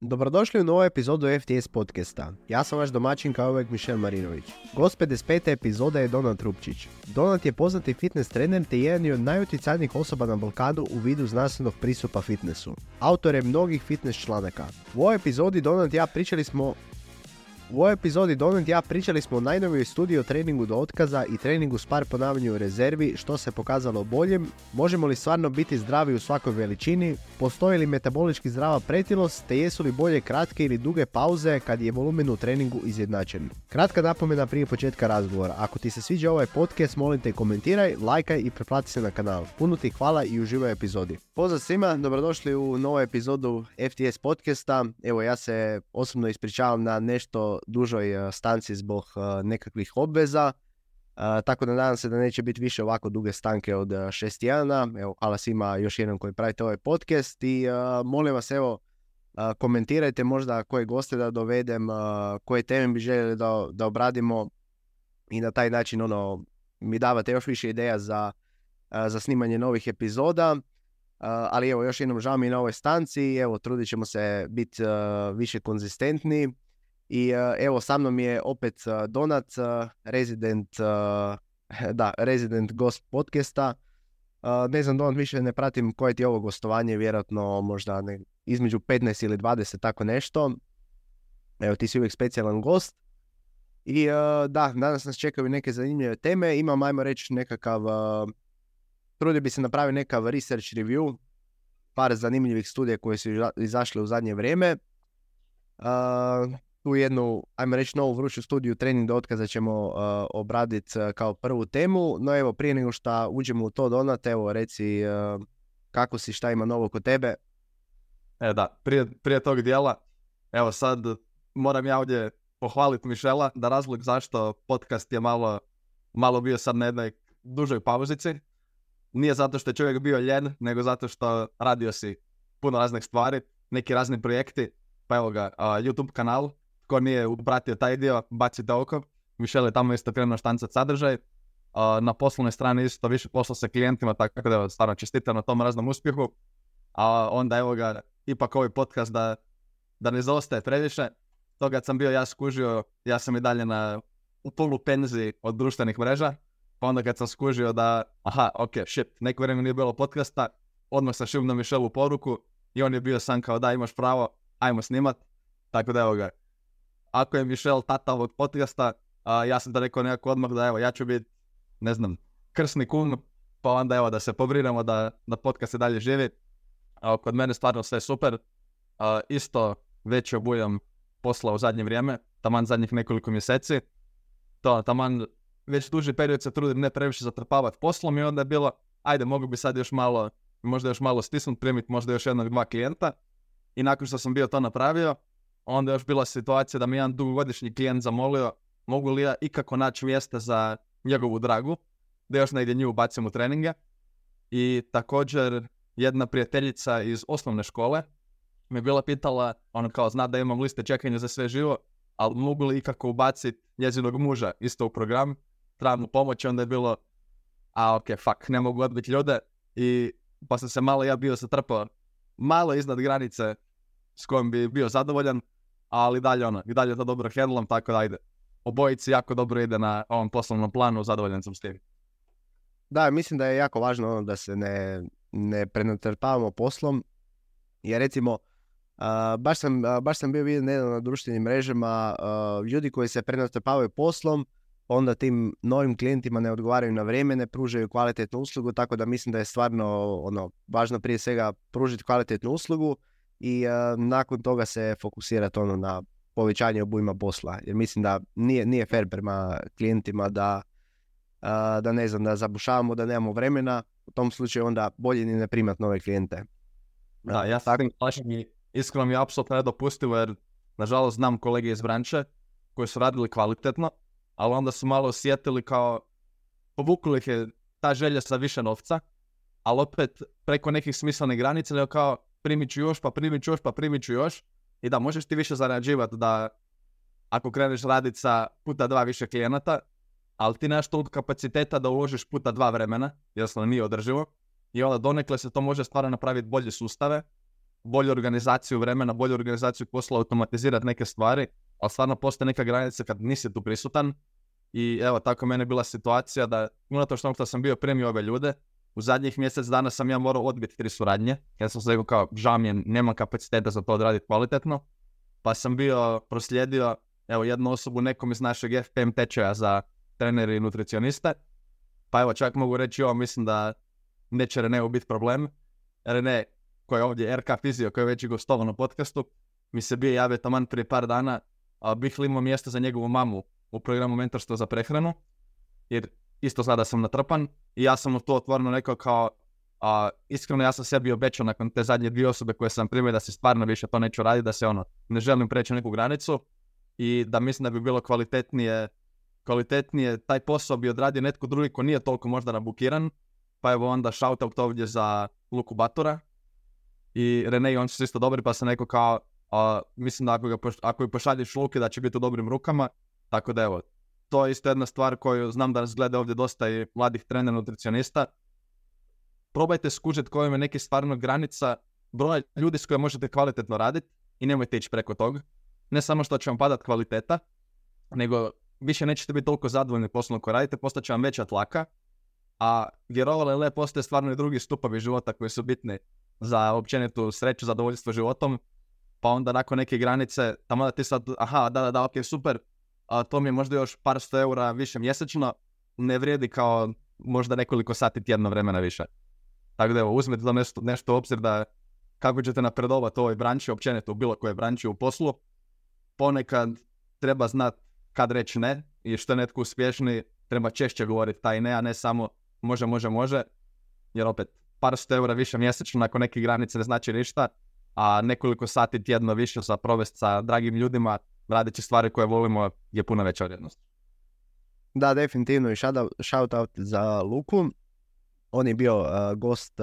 Dobrodošli u novu epizodu FTS podcasta. Ja sam vaš domaćin kao uvijek Mišel Marinović. Gost 55. epizoda je Donat Rupčić. Donat je poznati fitness trener te jedan od najutjecajnijih osoba na Balkanu u vidu znanstvenog pristupa fitnessu. Autor je mnogih fitness članaka. U ovoj epizodi Donat i ja pričali smo o najnovijoj studiji o treningu do otkaza i treningu s par ponavljanju u rezervi, što se pokazalo boljim, možemo li stvarno biti zdravi u svakoj veličini, postoji li metabolički zdrava pretilost, te jesu li bolje kratke ili duge pauze kad je volumen u treningu izjednačen. Kratka napomena prije početka razgovora. Ako ti se sviđa ovaj podcast, molim te komentiraj, lajkaj i pretplati se na kanal. Puno ti hvala i uživaj u epizodi. Pozdrav svima, dobrodošli u novu epizodu FTS podcasta. Evo, ja se osobno ispričavam na nešto dužoj stanci zbog nekakvih obveza, tako da nadam se da neće biti više ovako duge stanke od 6 tjedana. Evo, hvala svima još jednom koji pravite ovaj podcast i molim vas, evo, komentirajte možda koje goste da dovedem, koje teme bi željeli da obradimo i na taj način mi davate još više ideja za snimanje novih epizoda. Ali evo, još jednom žao mi na ovoj stanci, evo, trudit ćemo se biti više konzistentni. I evo, sa mnom je opet Donat, resident gost podcasta. Ne znam, Donat, više ne pratim koje ti je ovo gostovanje, vjerojatno možda između 15 ili 20, tako nešto. Evo, ti si uvijek specijalan gost. I danas nas čekaju neke zanimljive teme. Imam, ajmo reći, nekakav... trudio bi se napraviti nekav research review, par zanimljivih studija koje su izašle u zadnje vrijeme. Tu jednu, ajmo reći, novu vruću studiju trening do otkaza ćemo obraditi kao prvu temu. No evo, prije nego što uđemo u to, Donat, evo, reci kako si, šta ima novo kod tebe? Prije tog dijela, evo sad moram ja ovdje pohvaliti Mišela, da razlog zašto podcast je malo bio sad na jednoj dužoj pauzici. Nije zato što je čovjek bio ljen, nego zato što radio si puno raznih stvari, neki razni projekti. Pa evo ga, YouTube kanal, tko nije upratio taj dio, bacite oko. Mišel je tamo isto krenuo štancat sadržaj. Na poslovnoj strani isto više posla sa klijentima, tako da evo, stvarno čestitam na tom raznom uspjehu. A onda evo ga, ipak ovaj podcast da ne zaostaje previše. To kad sam bio ja skužio, ja sam i dalje u polu penziji od društvenih mreža. Pa onda kad sam skužio da, neko vrijeme nije bilo podcasta, odmah sam šibno Mišelu poruku i on je bio sam kao da imaš pravo, ajmo snimat. Tako da evo ga, ako je Mišel tata ovog podcasta, ja sam da rekao nekako odmah da evo, ja ću biti, ne znam, krsni kum, pa onda evo da se pobrinemo da podcast se dalje živi. Kod mene stvarno sve super, isto veći obujam posla u zadnje vrijeme, taman zadnjih nekoliko mjeseci, taman već duži period se trudim ne previše zatrpavati poslom i onda je bilo, ajde, mogu bi sad možda još malo stisnut, primiti možda još jednog, dva klijenta. I nakon što sam bio to napravio, onda je još bila situacija da mi jedan dugogodišnji klijent zamolio mogu li ja ikako naći mjesta za njegovu dragu, da još negdje nju bacim u treninge. I također jedna prijateljica iz osnovne škole me bila pitala, ona kao zna da imam liste čekanja za sve živo, ali mogu li ikako ubaciti njezinog muža isto u program, trebam mu pomoći, onda je bilo ne mogu odbiti ljude i pa sam se malo ja bio zatrpao malo iznad granice s kojom bi bio zadovoljan, ali i dalje to dobro handlam, tako da ajde. Obojici jako dobro ide na ovom poslovnom planu, zadovoljan sam s tim. Da, mislim da je jako važno da se ne prenatrpavamo poslom, jer recimo baš sam bio vidio nedavno na društvenim mrežama ljudi koji se prenatrpavaju poslom, onda tim novim klijentima ne odgovaraju na vrijeme, ne pružaju kvalitetnu uslugu, tako da mislim da je stvarno važno prije svega pružiti kvalitetnu uslugu i nakon toga se fokusirati na povećanje obujma posla, jer mislim da nije fair prema klijentima da ne znam, da zabušavamo, da nemamo vremena, u tom slučaju onda bolje ni ne primati nove klijente. Da, ja sam iskreno mi je apsolutno nedopustivo, jer nažalost znam kolege iz branše koji su radili kvalitetno, ali onda su malo osjetili kao povukli ih je ta želja za više novca, ali opet preko nekih smislenih granica, nego kao primit ću još i da možeš ti više zarađivati da ako kreneš raditi sa puta 2 više klijenata, ali ti nemaš toliko kapaciteta da uložiš puta 2 vremena, jednostavno nije održivo i onda donekle se to može stvarno napraviti bolje sustave, bolju organizaciju vremena, bolju organizaciju posla, automatizirati neke stvari, ali stvarno postoje neka granica kad nisi tu prisutan. I evo, tako meni je bila situacija da, unatoč što sam bio primio ove ljude, u zadnjih mjesec dana sam ja morao odbiti 3 suradnje. Ja sam se rekao kao, žao mi je, nemam kapaciteta za to odraditi kvalitetno. Pa sam bio proslijedio, evo, jednu osobu nekom iz našeg FPM tečaja za trenere i nutricioniste. Pa evo, čak mogu reći ovo, mislim da neće Reneu biti problem. Rene, koji je ovdje RK Fizio, koji je već i gostovao na podcastu, mi se bio javio taman prije par dana, bih li imao mjesto za njegovu mamu u programu Mentorstvo za prehranu, jer isto sada sam natrpan i ja sam mu to otvoreno rekao kao, iskreno ja sam sebi obećao nakon te zadnje 2 osobe koje sam primio da se stvarno više to neću raditi, da se ne želim preći neku granicu i da mislim da bi bilo kvalitetnije taj posao bi odradio netko drugi ko nije toliko možda nabukiran, pa evo onda shoutout ovdje za Luku Batura i Rene i on su isto dobri, pa sam rekao kao, mislim da ako ju pošalješ Luki da će biti u dobrim rukama, tako da evo, to je isto jedna stvar koju znam da nas gleda ovdje dosta i mladih trenera nutricionista. Probajte skužiti kojom je neki stvarno granica broja ljudi s kojima možete kvalitetno raditi i nemojte ići preko toga. Ne samo što će vam padati kvaliteta, nego više nećete biti toliko zadovoljni poslom koji radite, postaće vam veća tlaka, a vjerovali ili ne, postoje stvarno i drugi stupovi života koji su bitni za općenitu sreću, zadovoljstvo životom, pa onda nakon neke granice, tamo da ti sad, ok, super, to mi je možda još par 100 eura više mjesečno, ne vrijedi kao možda nekoliko sati tjedno vremena više. Tako da evo, uzmite to nešto u obzir da kako ćete napredovati u ovoj branči, općenito u bilo kojoj branči u poslu, ponekad treba znati kad reći ne i što je netko uspješniji, treba češće govoriti taj ne, a ne samo može, jer opet par 100 eura više mjesečno nakon neke granice ne znači ništa, a nekoliko sati tjedno više za provesti sa dragim ljudima, radeći stvari koje volimo je puno veća vrijednost. Da, definitivno i shoutout za Luku. On je bio gost,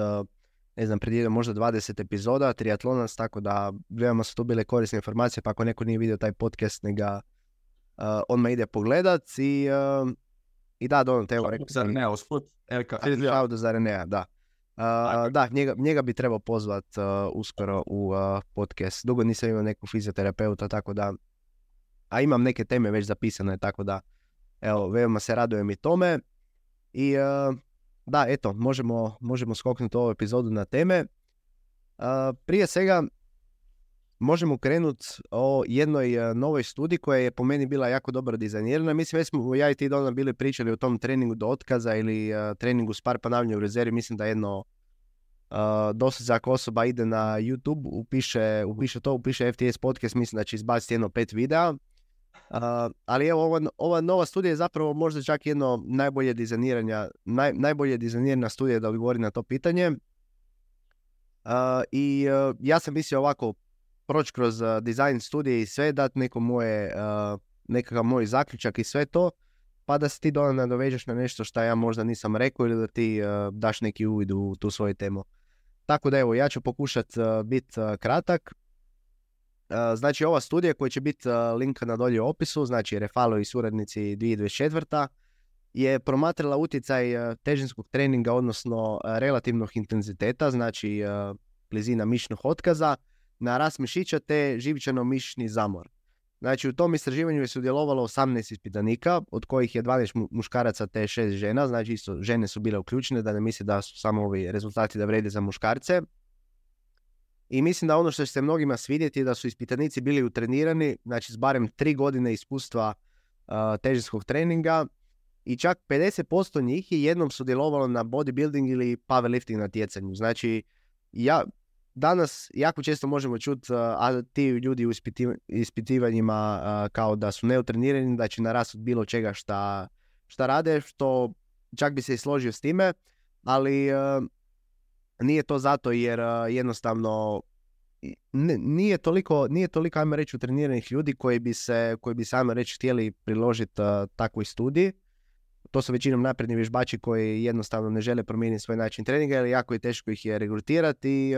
ne znam, pred možda 20 epizoda, triatlonac, tako da veoma su tu bile korisne informacije, pa ako neko nije vidio taj podcast, neka odmah ide pogledat i da, Donat, evo, rekao sam. Shoutout za Renea, da. Da, njega bi trebao pozvat uskoro u podcast. Dugo nisam imao nekog fizioterapeuta, tako da, a imam neke teme već zapisane, tako da, evo, veoma se radujem i tome. I da, eto, možemo skoknuti ovu epizodu na teme. Prije svega, možemo krenuti o jednoj novoj studiji koja je po meni bila jako dobro dizajnirana. Mislim, već smo ja i ti Dona bili pričali o tom treningu do otkaza ili treningu s par ponavljanja u rezervi. Mislim da jedno dosta ako osoba ide na YouTube, upiše FTS podcast, mislim da će izbaciti jedno 5 videa. Ali evo, ova nova studija je zapravo možda čak jedno najbolje dizajnirana studija da odgovori na to pitanje. Ja sam mislio ovako proći kroz dizajn studije i sve, dati nekakav moj zaključak i sve to, pa da se ti nadovežeš na nešto što ja možda nisam rekao ili da ti daš neki uvid u tu svoju temu. Tako da evo, ja ću pokušati biti kratak. Znači, ova studija koja će biti linka na dolje u opisu, znači Refalo i suradnici 2024. je promatrala utjecaj težinskog treninga, odnosno relativnog intenziteta, znači blizina mišićnog otkaza, na rast mišića te živčano-mišićni zamor. Znači, u tom istraživanju je sudjelovalo 18 ispitanika, od kojih je 12 muškaraca te 6 žena, znači isto žene su bile uključene, da ne misli da su samo ovi rezultati da vrede za muškarce. I mislim da ono što će se mnogima svidjeti je da su ispitanici bili utrenirani, znači s barem 3 godine iskustva težinskog treninga i čak 50% njih je jednom sudjelovalo na bodybuilding ili powerlifting natjecanju. Znači, danas jako često možemo čuti, a ti ljudi u ispitivanjima kao da su neutrenirani, da će narasti od bilo čega šta rade, što čak bi se i složio s time, ali nije to zato jer jednostavno nije toliko, ajmo reći, utreniranih ljudi koji bi se, ajmo reći, htjeli priložiti takvoj studiji. To su većinom napredni vježbači koji jednostavno ne žele promijeniti svoj način treninga, jer jako je teško ih je regrutirati,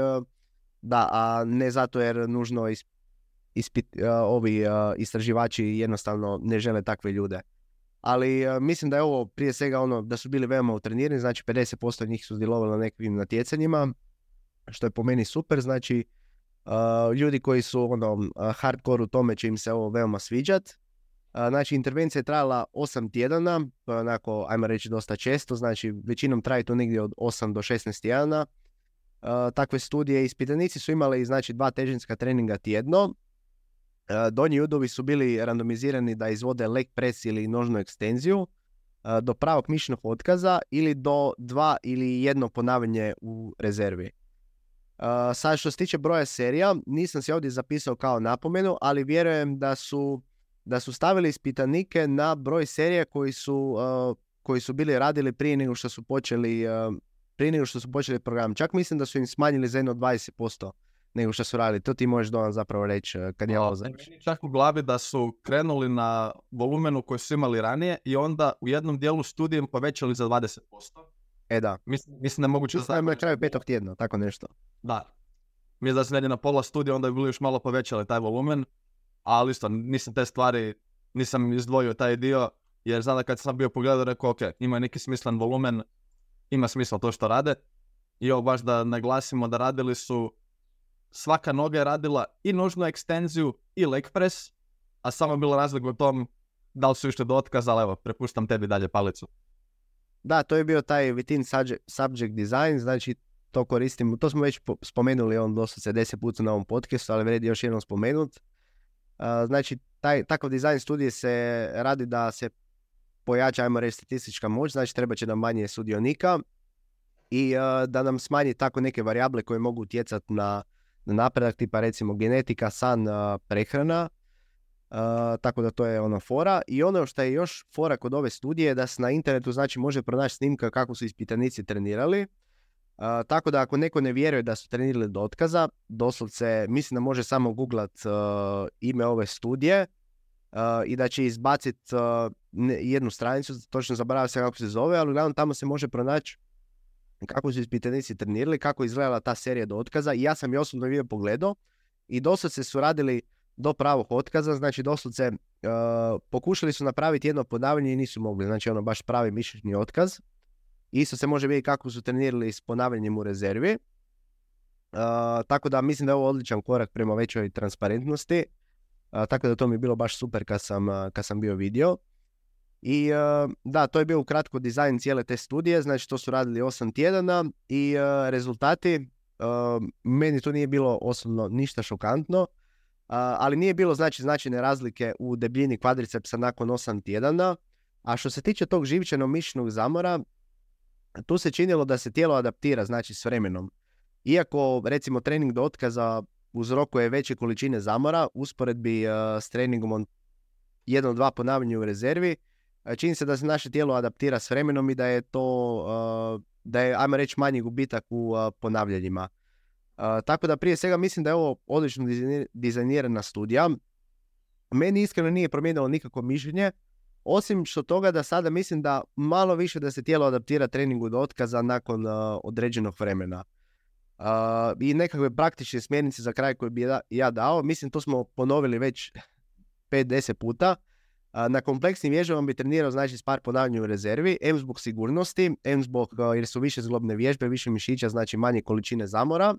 da, a ne zato jer nužno ovi istraživači jednostavno ne žele takve ljude. Ali mislim da je ovo prije svega da su bili veoma utrenirani, znači 50% njih su sudjelovali na nekakvim natjecanjima, što je po meni super. Znači Ljudi koji su hardcore u tome će im se ovo veoma sviđat. Znači, intervencija je trajala 8 tjedana, onako, ajmo reći, dosta često, znači većinom traje to negdje od 8 do 16 tjedana. Takve studije, ispitanici su imali, znači, 2 težinska treninga tjedno. Donji udovi su bili randomizirani da izvode leg press ili nožnu ekstenziju do pravog mišićnog otkaza ili do 2 ili 1 ponavljanje u rezervi. Sad što se tiče broja serija, nisam si ovdje zapisao kao napomenu, ali vjerujem da su stavili ispitanike na broj serija koji su bili radili prije nego što su počeli program. Čak mislim da su im smanjili za jedno 20% nego što su radili. To ti možeš Donan zapravo reći kad je ovo završi. Čak u glavi da su krenuli na volumenu koji su imali ranije i onda u jednom dijelu studijem povećali za 20%. Da. Mislim da je moguće... Mislim da je kraju 5. tjedna, tako nešto. Da. Mislim da su negdje na pola studija, onda bi bili još malo povećali taj volumen, ali isto nisam izdvojio taj dio, jer znam da kad sam bio pogledao, rekao, ok, ima neki smislen volumen, ima smisla to što rade. I ovo baš da naglasimo da radili su, svaka noga je radila i nožnu ekstenziju i leg press, a samo je bilo razlika u tom da li su išli do otkaza, ali evo, prepuštam tebi dalje palicu. Da, to je bio taj within subject design, znači to koristimo, to smo već spomenuli doslovce 10 puta na ovom podcastu, ali vredi još jednom spomenut. Znači, takav dizajn studije se radi da se pojača, ajmo reći, statistička moć, znači treba će nam manje sudionika i da nam smanji tako neke varijable koje mogu utjecati na napredak, tipa recimo genetika, san, prehrana. Tako da to je fora. I ono što je još fora kod ove studije je da se na internetu, znači, može pronaći snimka kako su ispitanici trenirali. Tako da ako neko ne vjeruje da su trenirali do otkaza, doslovce mislim da može samo googlat ime ove studije i da će izbaciti jednu stranicu, točno zaboravio se kako se zove, ali uglavnom tamo se može pronaći kako su ispitanici trenirali, kako je izgledala ta serija do otkaza. I ja sam je osobno video pogledao i doslovce su radili do pravog otkaza, znači doslovce pokušali su napraviti jedno ponavljanje i nisu mogli, znači baš pravi mišićni otkaz. Isto se može vidjeti kako su trenirali s ponavljanjem u rezervi. Tako da mislim da je ovo odličan korak prema većoj transparentnosti. Tako da to mi je bilo baš super kad sam bio vidio. I da, to je bio ukratko dizajn cijele te studije, znači to su radili 8 tjedana i rezultati, meni to nije bilo osobno ništa šokantno, ali nije bilo značajne razlike u debljini kvadricepsa nakon 8 tjedana. A što se tiče tog živčano mišićnog zamora, tu se činilo da se tijelo adaptira, znači s vremenom. Iako recimo trening do otkaza uzrokuje veće količine zamora, usporedbi s treningom 1-2 ponavljanja u rezervi, čini se da se naše tijelo adaptira s vremenom i da je to, da je, ajmo reći, manji gubitak u ponavljanjima. Tako da prije svega mislim da je ovo odlično dizajnirana studija. Meni iskreno nije promijenilo nikakvo mišljenje, osim što toga da sada mislim da malo više da se tijelo adaptira treningu do otkaza nakon određenog vremena. I nekakve praktične smjernice za kraj koje bi ja dao, mislim to smo ponovili već 5-10 puta. Na kompleksnim vježbama bi trenirao, znači, s par ponavljanja u rezervi, M zbog sigurnosti, M zbog jer su više zglobne vježbe, više mišića, znači manje količine zamora.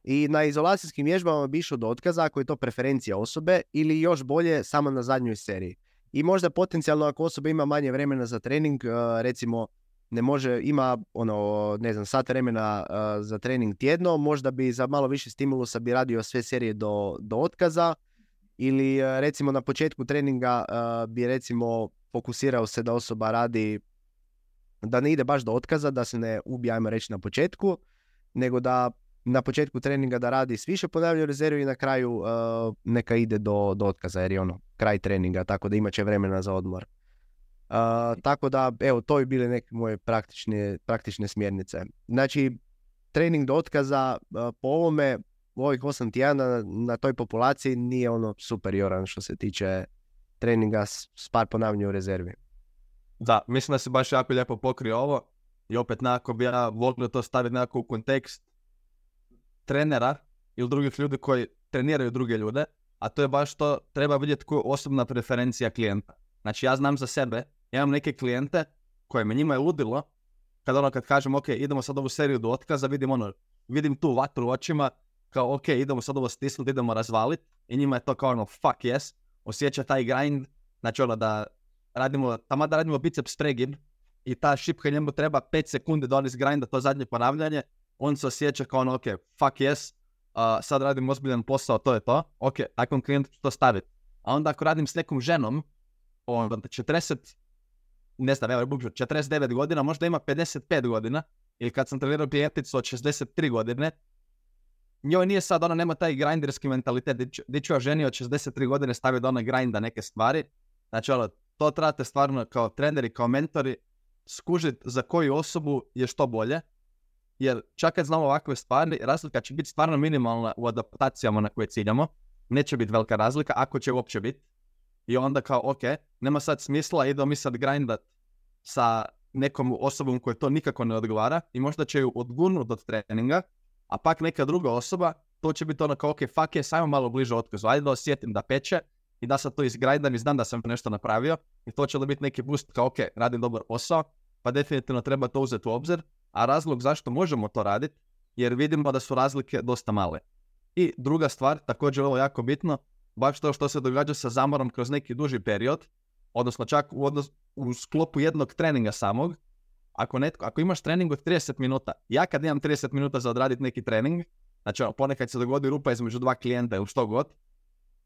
I na izolacijskim vježbama bi išao do otkaza ako je to preferencija osobe ili još bolje samo na zadnjoj seriji. I možda potencijalno ako osoba ima manje vremena za trening, recimo ne može, ima sat vremena za trening tjedno, možda bi za malo više stimulusa bi radio sve serije do otkaza. Ili recimo na početku treninga bi recimo fokusirao se da osoba radi, da ne ide baš do otkaza, da se ne ubije, ajmo reći, na početku, nego da na početku treninga da radi s više ponavljanja u rezervi i na kraju neka ide do otkaza, jer je kraj treninga, tako da imat će vremena za odmor. Tako da, evo, to bi bile neke moje praktične smjernice. Znači, trening do otkaza po ovome, u ovih 8 tjedana na toj populaciji nije superioran što se tiče treninga s par ponavljanja u rezervi. Da, mislim da se baš jako lijepo pokrio ovo i opet nekako bi ja volio to staviti nekako u kontekst trenera ili drugih ljudi koji treniraju druge ljude, a to je baš to, treba vidjeti koja je osobna preferencija klijenta. Znači ja znam za sebe, ja imam neke klijente koje me njima je ludilo kad kažem ok, idemo sad ovu seriju do otkaza, vidim tu vatru u očima, kao ok, idemo sad ovo stisnuti, idemo razvaliti i njima je to kao ono fuck yes, osjeća taj grind, znači ono da radimo biceps pregib i ta šipka njemu treba 5 sekundi da on izgrinda to zadnje ponavljanje, on se osjeća kao ono ok, fuck yes, sad radim ozbiljan posao, to je to, ok, takvom klijentu ću to staviti. A onda ako radim s nekom ženom, onda 49 godina, možda ima 55 godina, ili kad sam trenirao klijenticu od 63 godine, njoj nije sad, ona nema taj grinderski mentalitet, di ću ja ženi od 63 godine staviti da ona grinda neke stvari, znači ono, to trebate stvarno kao treneri, kao mentori, skužiti za koju osobu je što bolje, jer čak kad znamo ovakve stvari, razlika će biti stvarno minimalna u adaptacijama na koje ciljamo, neće biti velika razlika, ako će uopće biti. I onda kao, ok, nema sad smisla, idemo mi sad grindat sa nekom osobom koja to nikako ne odgovara i možda će ju odgurnuti od treninga, a pak neka druga osoba, to će biti ono kao, ok, fuck je, sajmo malo bliže otkazu, ajde da osjetim da peče i da sad to izgrindam i znam da sam nešto napravio i to će da biti neki boost kao, ok, radim dobar posao, pa definitivno treba to uzeti u obzir, a razlog zašto možemo to raditi, jer vidimo da su razlike dosta male. I druga stvar, također ovo jako bitno, baš to što se događa sa zamorom kroz neki duži period, odnosno čak u sklopu jednog treninga samog, ako imaš trening od 30 minuta, ja kad imam 30 minuta za odraditi neki trening, znači ponekad se dogodi rupa između dva klijenta ili što god,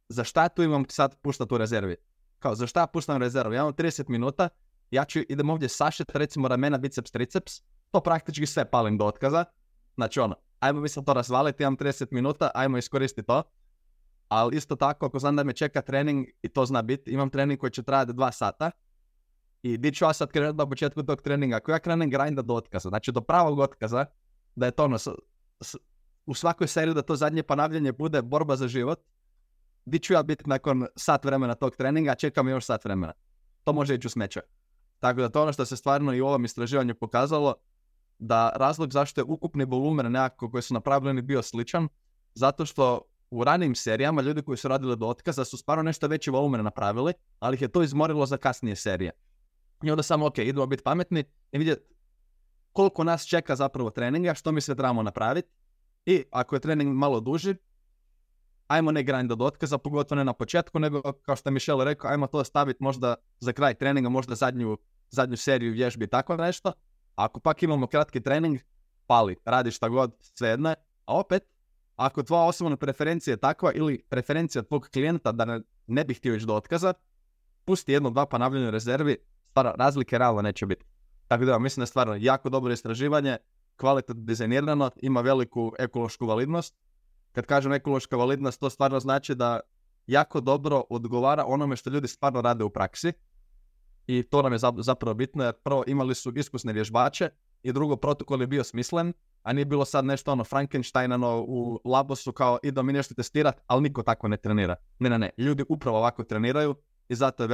za šta tu imam sad puštati u rezervi? Kao, za šta puštam rezervu? Ja imam 30 minuta, idem ovdje sašet, recimo ramena, biceps, triceps, to praktički sve palim do otkaza, znači ajmo mi sad to razvaliti, imam 30 minuta, ajmo iskoristiti to. Ali isto tako, ako znam da me čeka trening, i to zna biti, imam trening koji će trajati 2 sata, i di ću ja sad krenuti na početku tog treninga, ako ja krenem grinda do otkaza, znači do pravog otkaza, da je to u svakoj seriji da to zadnje ponavljanje bude borba za život, di ću ja biti nakon sat vremena tog treninga, čekam još sat vremena. To može ići u smeće. Tako da to ono što se stvarno i u ovom istraživanju pokazalo, da razlog zašto je ukupni volumen nekako koji su napravljeni bio sličan, zato što u ranijim serijama ljudi koji su radili do otkaza su stvarno nešto veći volumen napravili, ali ih je to izmorilo za kasnije serije. I onda samo, ok, idemo biti pametni i vidjeti koliko nas čeka zapravo treninga, što mi se trebamo napraviti. I ako je trening malo duži, ajmo ne grind do otkaza, pogotovo ne na početku, nego kao što je Michel rekao, ajmo to staviti možda za kraj treninga, možda zadnju seriju vježbi i tako nešto. A ako pak imamo kratki trening, pali, radi šta god, svejedno je. A opet, ako tvoja osobna preferencija je takva ili preferencija tvog klijenta da ne bi htio ići do otkaza, pusti 1-2 ponavljanja u rezervi, stvarno razlike realno neće biti. Tako da mislim da je stvarno jako dobro istraživanje, kvalitetno dizajnirano, ima veliku ekološku validnost. Kad kažem ekološka validnost, to stvarno znači da jako dobro odgovara onome što ljudi stvarno rade u praksi. I to nam je zapravo bitno, jer prvo imali su iskusne vježbače i drugo, protokol je bio smislen, a nije bilo sad nešto Frankensteinano u labosu kao idemo mi nešto testirati, ali niko tako ne trenira. Ne. Ljudi upravo ovako treniraju i zato je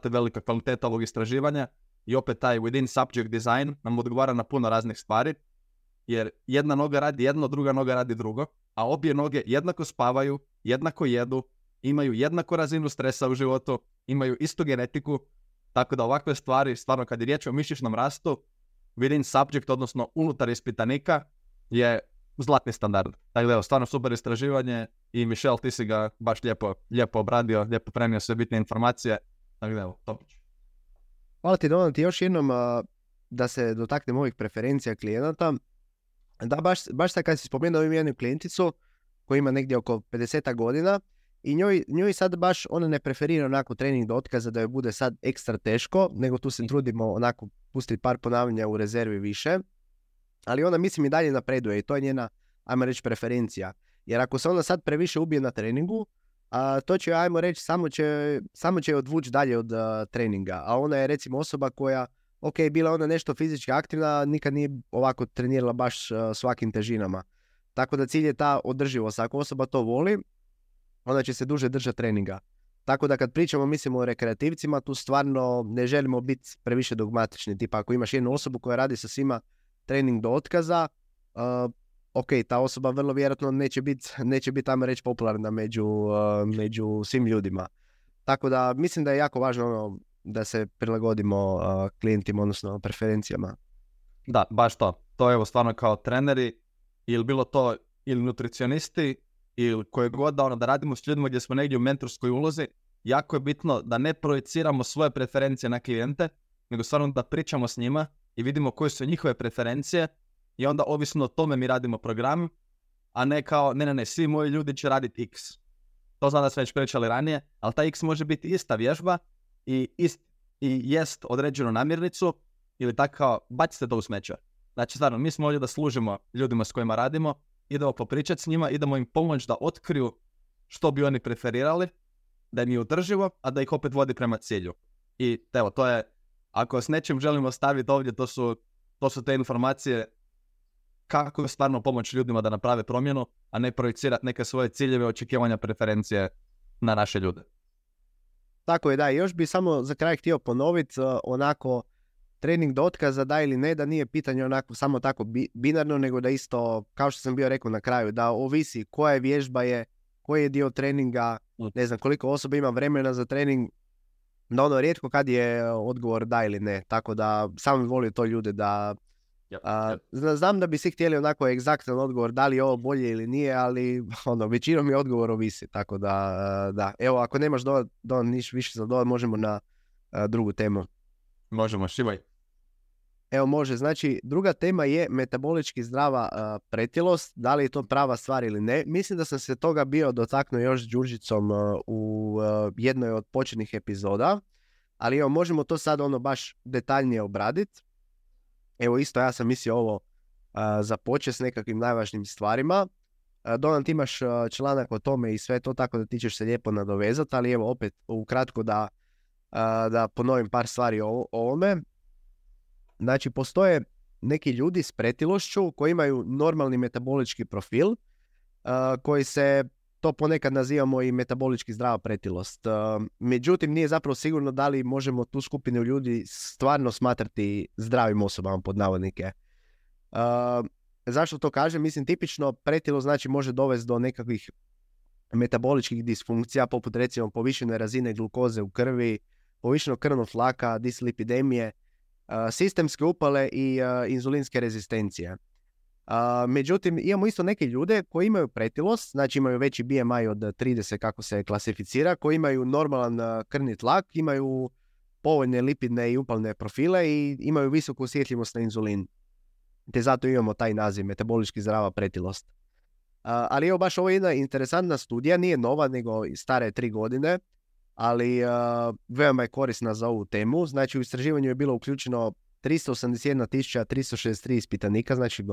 velika kvaliteta ovog istraživanja i opet taj within subject design nam odgovara na puno raznih stvari, jer jedna noga radi jedno, druga noga radi drugo, a obje noge jednako spavaju, jednako jedu, imaju jednako razinu stresa u životu, imaju istu genetiku, tako da ovakve stvari, stvarno kad je riječ o mišićnom rastu, within subject, odnosno unutar ispitanika, je zlatni standard. Tako da evo, stvarno super istraživanje i Michel, ti si ga baš lijepo obradio, lijepo prenio sve bitne informacije. Tako da evo, topić. Hvala ti, Donat, još jednom da se dotaknem ovih preferencija klijenata. Da, baš sad kad si spomenuo imam jednu klijenticu koja ima negdje oko 50 godina i njoj sad baš ona ne preferira onako trening do otkaza da joj bude sad ekstra teško, nego tu se trudimo onako pustiti par ponavljanja u rezervi više, ali ona mislim i dalje napreduje i to je njena, ajmo reći, preferencija. Jer ako se ona sad previše ubije na treningu, to će, ajmo reći, samo će odvući dalje od treninga, a ona je recimo osoba koja, ok, bila ona nešto fizički aktivna, nikad nije ovako trenirala baš svakim težinama. Tako da cilj je ta održivost. Ako osoba to voli, onda će se duže držati treninga. Tako da kad pričamo, mislimo o rekreativcima, tu stvarno ne želimo biti previše dogmatični. Tipa ako imaš jednu osobu koja radi sa svima trening do otkaza, ok, ta osoba vrlo vjerojatno neće biti tamo reći popularna među svim ljudima. Tako da mislim da je jako važno da se prilagodimo klijentima, odnosno preferencijama. Da, baš to. To je evo stvarno kao treneri ili bilo to ili nutricionisti ili koje god da radimo s ljudima gdje smo negdje u mentorskoj ulozi, jako je bitno da ne projiciramo svoje preferencije na klijente, nego stvarno da pričamo s njima i vidimo koje su njihove preferencije i onda ovisno o tome mi radimo program, a ne kao ne, svi moji ljudi će raditi X. To znam da smo već pričali ranije, ali ta X može biti ista vježba i jest određenu namirnicu ili tako kao bacite to u smeće. Znači stvarno, mi smo ovdje da služimo ljudima s kojima radimo, idemo popričati s njima, idemo im pomoći da otkriju što bi oni preferirali, da im je održivo, a da ih opet vodi prema cilju. I evo, to je, ako s nečim želimo staviti ovdje, to su te informacije kako stvarno pomoći ljudima da naprave promjenu, a ne projicirati neke svoje ciljeve, očekivanja, preferencije na naše ljude. Tako je, da. Još bi samo za kraj htio ponoviti, onako, trening do otkaza, da ili ne, da nije pitanje onako samo tako binarno, nego da isto, kao što sam bio rekao na kraju, da ovisi koja vježba je, koji je dio treninga, ne znam koliko osoba ima vremena za trening, no ono rijetko kad je odgovor da ili ne, tako da sam volio to ljude da znam da bi svi htjeli onako egzaktan odgovor da li je ovo bolje ili nije, ali većinom je odgovor ovisi, tako da. Evo, ako nemaš niš više za dodat, možemo na drugu temu. Možemo, šivaj. Evo može, znači druga tema je metabolički zdrava pretilost, da li je to prava stvar ili ne. Mislim da sam se toga bio dotaknuo još s Đurđicom u jednoj od početnih epizoda, ali evo možemo to sad baš detaljnije obraditi. Evo isto ja sam mislio ovo započeti s nekakvim najvažnijim stvarima. Donan, ti imaš članak o tome i sve to, tako da ti ćeš se lijepo nadovezati, ali evo opet ukratko da ponovim par stvari o ovome. Znači, postoje neki ljudi s pretilošću koji imaju normalni metabolički profil, koji se, to ponekad nazivamo i metabolički zdrava pretilost. Međutim, nije zapravo sigurno da li možemo tu skupinu ljudi stvarno smatrati zdravim osobama, pod navodnike. Zašto to kažem? Mislim, tipično pretilost znači može dovesti do nekakvih metaboličkih disfunkcija, poput recimo povišene razine glukoze u krvi, povišenog krvnog tlaka, dislipidemije, sistemske upale i inzulinske rezistencije. Međutim, imamo isto neke ljude koji imaju pretilost, znači imaju veći BMI od 30 kako se klasificira, koji imaju normalan krvni tlak, imaju povoljne lipidne i upalne profile i imaju visoku osjetljivost na inzulin. Te zato imamo taj naziv, metabolički zdrava pretilost. Ali evo baš ovo je jedna interesantna studija, nije nova nego stara je 3 godine, ali veoma je korisna za ovu temu. Znači u istraživanju je bilo uključeno 381.363 ispitanika, znači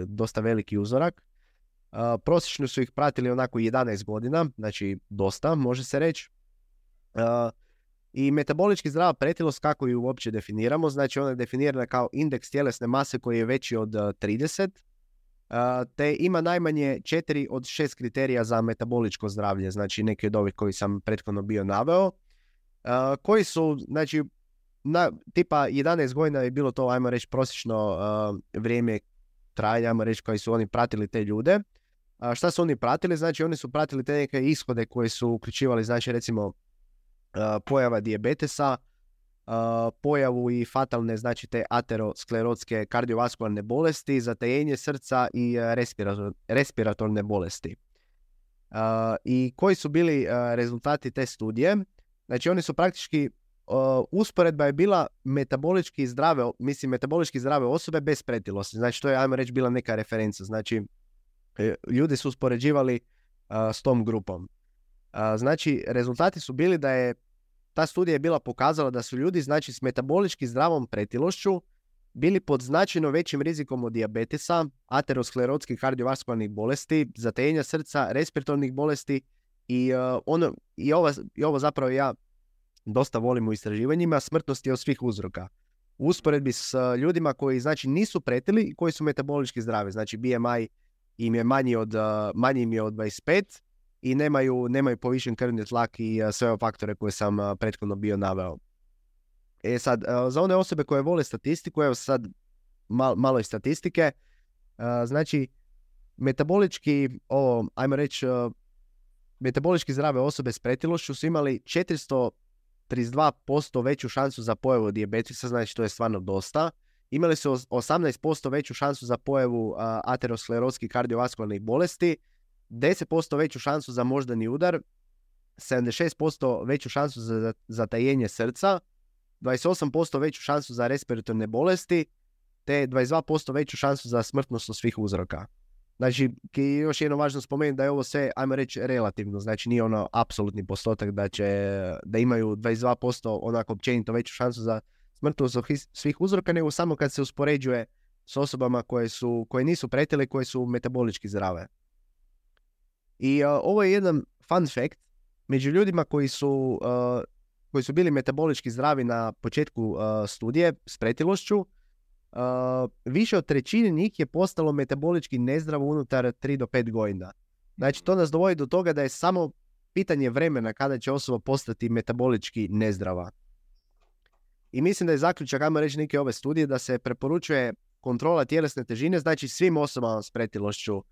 dosta veliki uzorak. Prosječno su ih pratili onako 11 godina, znači dosta, može se reći. I metabolički zdrava pretilost, kako ju uopće definiramo, znači ona je definirana kao indeks tjelesne mase koji je veći od 30, te ima najmanje 4 od 6 kriterija za metaboličko zdravlje, znači neki od ovih koji sam prethodno bio naveo, koji su, znači, tipa 11 godina je bilo to, ajmo reći, prosječno vrijeme trajanja, ajmo reći, koji su oni pratili te ljude. Šta su oni pratili? Znači, oni su pratili te neke ishode koji su uključivali, znači, recimo, pojava dijabetesa, pojavu i fatalne, znači te aterosklerotske kardiovaskularne bolesti, zatajenje srca i respiratorne bolesti. I koji su bili rezultati te studije? Znači oni su praktički, usporedba je bila metabolički zdrave osobe bez pretilosti. Znači to je, ajmo reći, bila neka referenca. Znači ljudi su uspoređivali s tom grupom. Znači rezultati su bili da je ta studija je bila pokazala da su ljudi, znači, s metabolički zdravom pretilošću bili pod značajno većim rizikom od dijabetesa, aterosklerotskih kardiovaskularnih bolesti, zatajenja srca, respiratornih bolesti i ovo zapravo ja dosta volim u istraživanjima, smrtnosti od svih uzroka. U usporedbi s ljudima koji, znači, nisu pretili i koji su metabolički zdravi, znači BMI im je manji im je od 25 i nemaju povišen krvni tlak i sve ove faktore koje sam prethodno bio naveo. Sad, za one osobe koje vole statistiku, evo sad malo i statistike, znači metabolički, ajmo reći, metabolički zdrave osobe s pretilošću su imali 432% veću šansu za pojavu dijabetesa, znači to je stvarno dosta. imali su 18% veću šansu za pojavu ateroskleroskih kardiovaskularnih bolesti, 10% veću šansu za moždani udar, 76% veću šansu za zatajenje srca, 28% veću šansu za respiratorne bolesti, te 22% veću šansu za smrtnost od svih uzroka. Znači, još jedno važno spomenuti da je ovo sve, ajmo reći, relativno. Znači, nije ono apsolutni postotak da imaju 22% onako općenito veću šansu za smrtnost od svih uzroka, nego samo kad se uspoređuje s osobama koje nisu pretile, koje su metabolički zdrave. I ovo je jedan fun fact. Među ljudima koji su bili metabolički zdravi na početku studije s pretilošću, više od trećine njih je postalo metabolički nezdravo unutar 3 do 5 godina. Znači, to nas dovodi do toga da je samo pitanje vremena kada će osoba postati metabolički nezdrava. I mislim da je zaključak, ajmo reći, neke ove studije, da se preporučuje kontrola tjelesne težine, znači svim osobama s pretilošću.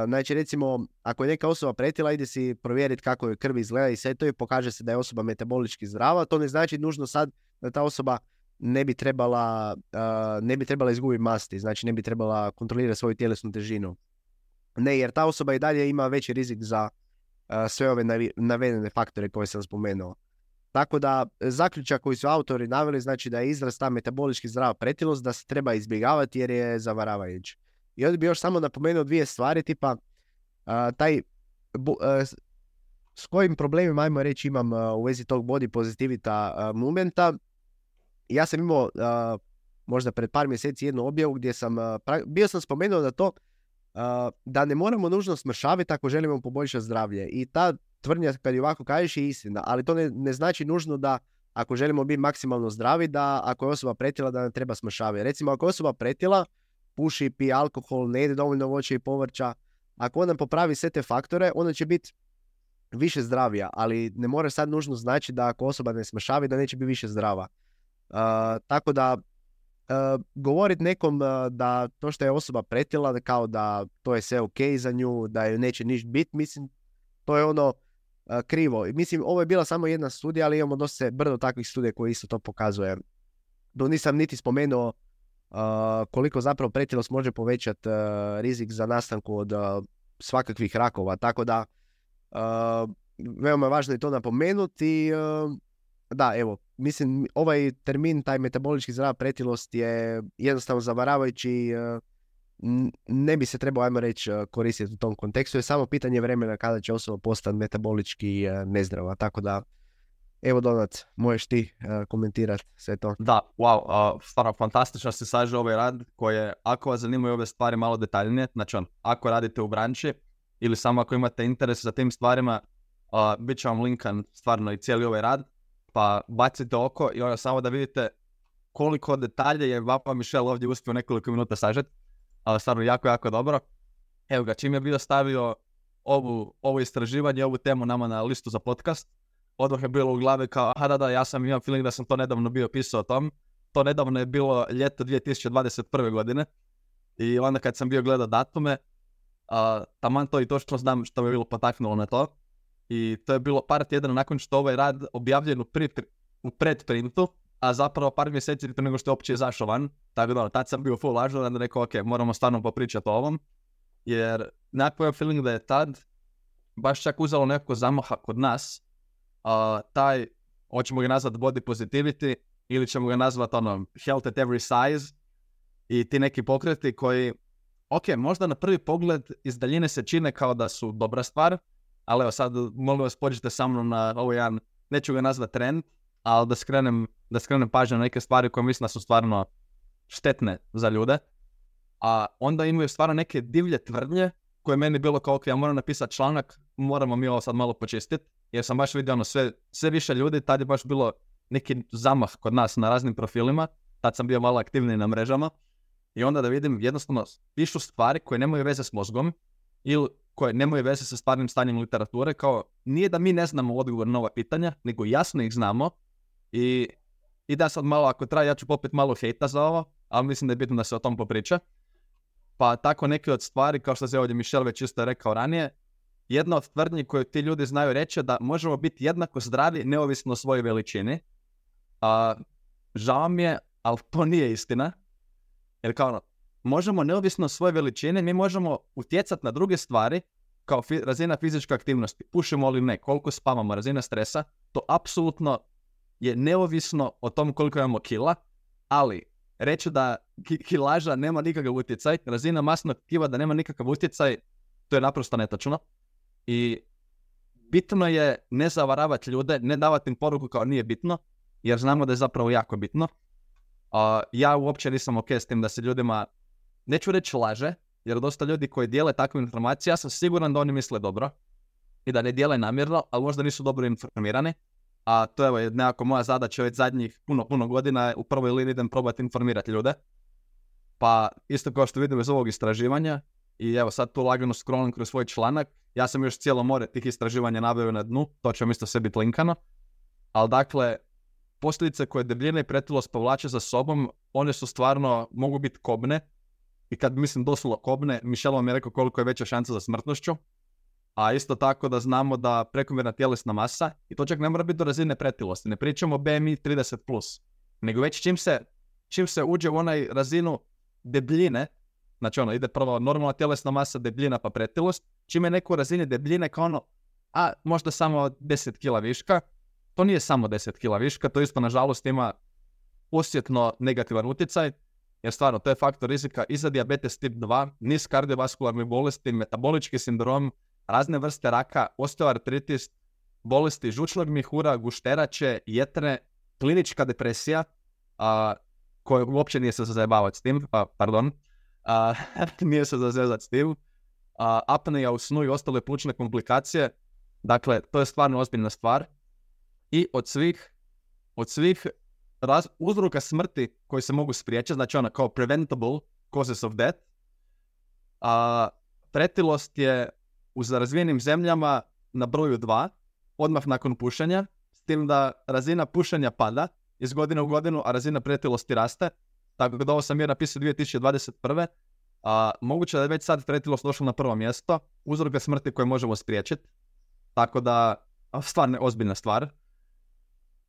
Znači, recimo, ako je neka osoba pretila, ide si provjeriti kako je krv izgleda i sve to i pokaže se da je osoba metabolički zdrava. To ne znači nužno sad da ta osoba ne bi trebala izgubiti masti, znači ne bi trebala kontrolirati svoju tjelesnu težinu. Ne, jer ta osoba i dalje ima veći rizik za sve ove navedene faktore koje sam spomenuo. Tako da, zaključak koji su autori naveli, znači da je izraz ta metabolički zdrava pretilost, da se treba izbjegavati jer je zavaravajući. I ovdje bi još samo napomenuo 2 stvari, tipa s kojim problemima, ajmo reći, imam u vezi tog body positivity movementa. Ja sam imao možda pred par mjeseci jednu objavu gdje sam bio sam spomenuo da to da ne moramo nužno smršaviti ako želimo poboljšati zdravlje. I ta tvrdnja, kad je ovako kažeš, je istina, ali to ne znači nužno da ako želimo biti maksimalno zdravi, da ako je osoba pretila da ne treba smršaviti. Recimo, ako je osoba pretila, puši, pije alkohol, ne jede dovoljno voća i povrća, ako ona popravi sve te faktore, ona će biti više zdravija, ali ne mora sad nužno znači da ako osoba ne smršavi da neće biti više zdrava. Tako da govoriti nekom da to što je osoba pretila, kao da to je sve ok za nju, da joj neće ništa biti, mislim, to je ono krivo. Mislim, ovo je bila samo jedna studija, ali imamo dosta brdo takvih studija koji isto to pokazuje. Nisam niti spomenuo koliko zapravo pretilost može povećati rizik za nastanku od svakakvih rakova. Tako da veoma važno je to napomenuti. Da, evo, mislim, ovaj termin, taj metabolički zdrava pretilost je jednostavno zavaravajući. Ne bi se trebao, ajmo reći, koristiti u tom kontekstu. Je samo pitanje vremena kada će osoba postati metabolički nezdrava. Tako da, evo, Donat, možeš ti komentirati sve to. Da, wow, stvarno fantastično se saže ovaj rad koje, ako vas zanimaju ove stvari malo detaljnije, znači ako radite u branši ili samo ako imate interes za tim stvarima, bit će vam linkan stvarno i cijeli ovaj rad, pa bacite oko i samo da vidite koliko detalje je Vapa Mišel ovdje uspio nekoliko minuta sažeti, ali stvarno jako, jako dobro. Evo ga, čim je bio stavio ovo istraživanje, ovu temu nama na listu za podcast, odmah je bilo u glavi kao, da, ja sam imam feeling da sam to nedavno bio pisao o tom. To nedavno je bilo ljeto 2021. godine i onda kad sam bio gledao datume, taman to i točno znam što me bilo potaknulo na to. I to je bilo par tjedana nakon što ovaj rad objavljen u predprintu, a zapravo par mjeseci prije nego što je uopće izašao van. Tako da, tad sam bio full ažuran da rekao, ok, moramo stvarno popričati o ovom. Jer nekako je feeling da je tad baš čak uzelo nekako zamaha kod nas, taj, hoćemo ga nazvati body positivity ili ćemo ga nazvati health at every size i ti neki pokreti koji, ok, možda na prvi pogled iz daljine se čine kao da su dobra stvar, ali evo sad molim vas pođite sa mnom na ovo jedan, neću ga nazvati trend, ali da skrenem pažnju na neke stvari koje mislim da su stvarno štetne za ljude, a onda imaju stvarno neke divlje tvrdnje koje meni bilo kao, ok, ja moram napisati članak, moramo mi ovo sad malo počistiti, jer sam baš vidio sve više ljudi, tad je baš bilo neki zamah kod nas na raznim profilima, tad sam bio malo aktivniji na mrežama, i onda da vidim jednostavno pišu stvari koje nemaju veze s mozgom, ili koje nemaju veze sa stvarnim stanjem literature, kao nije da mi ne znamo odgovor na ova pitanja, nego jasno ih znamo, i da sad malo, ako traje, ja ću popet malo hejta za ovo, ali mislim da je bitno da se o tom popriča. Pa tako neke od stvari, kao što se ovdje Mišel već isto rekao ranije, jedna od tvrdnji koju ti ljudi znaju reći je da možemo biti jednako zdravi neovisno o svojoj veličini. Žao mi je, ali to nije istina. Jer kao ono, možemo neovisno svoje veličine, mi možemo utjecati na druge stvari kao razina fizičke aktivnosti. Pušimo li ne, koliko spavamo, razina stresa, to apsolutno je neovisno o tom koliko imamo kila, ali reći da kilaža nema nikakav utjecaj, razina masnog tkiva da nema nikakav utjecaj, to je naprosto netočno. I bitno je ne zavaravati ljude, ne davati im poruku kao nije bitno, jer znamo da je zapravo jako bitno. Ja uopće nisam ok s tim da se ljudima, neću reći laže, jer dosta ljudi koji dijele takve informacije, ja sam siguran da oni misle dobro i da ne dijele namjerno, ali možda nisu dobro informirani. A to je nekako moja zadaća već zadnjih puno godina, u prvoj liniji idem probati informirati ljude. Pa isto kao što vidimo iz ovog istraživanja, i evo sad tu lagano scrollam kroz svoj članak, ja sam još cijelo more tih istraživanja naveo na dnu, to će vam isto sve biti linkano. Ali dakle, posljedice koje debljina i pretilost povlače za sobom, one su stvarno, mogu biti kobne. I kad mislim doslovno kobne, Michelle vam je rekao koliko je veća šansa za smrtnošću. A isto tako da znamo da prekomjerna tjelesna masa, i to čak ne mora biti do razine pretilosti, ne pričamo o BMI 30+, nego već čim se uđe u onaj razinu debljine, znači ono, ide prvo normalna tjelesna masa, debljina pa pretilost, čim je neko u razini debljine kao ono, a možda samo 10 kila viška, to nije samo 10 kila viška, to isto nažalost ima osjetno negativan utjecaj, jer stvarno to je faktor rizika i za dijabetes tip 2, niz kardiovaskularnih bolesti, metabolički sindrom, razne vrste raka, osteoartritis, bolesti žučnog mjehura, gušterače, jetre, klinička depresija, koja uopće nije se zazajebavati s tim, nije se zazezati s tim, apnea u snu i ostale plućne komplikacije. Dakle, to je stvarno ozbiljna stvar. I od svih uzroka smrti koji se mogu spriječiti, znači ona kao preventable causes of death, pretilost je u razvijenim zemljama na broju 2, odmah nakon pušenja, s tim da razina pušenja pada iz godine u godinu, a razina pretilosti raste. Tako da ovo sam je napisao 2021. Moguće da je već sad pretilost došla na prvo mjesto, uzroka smrti koje možemo spriječiti. Tako da, stvarno ozbiljna stvar.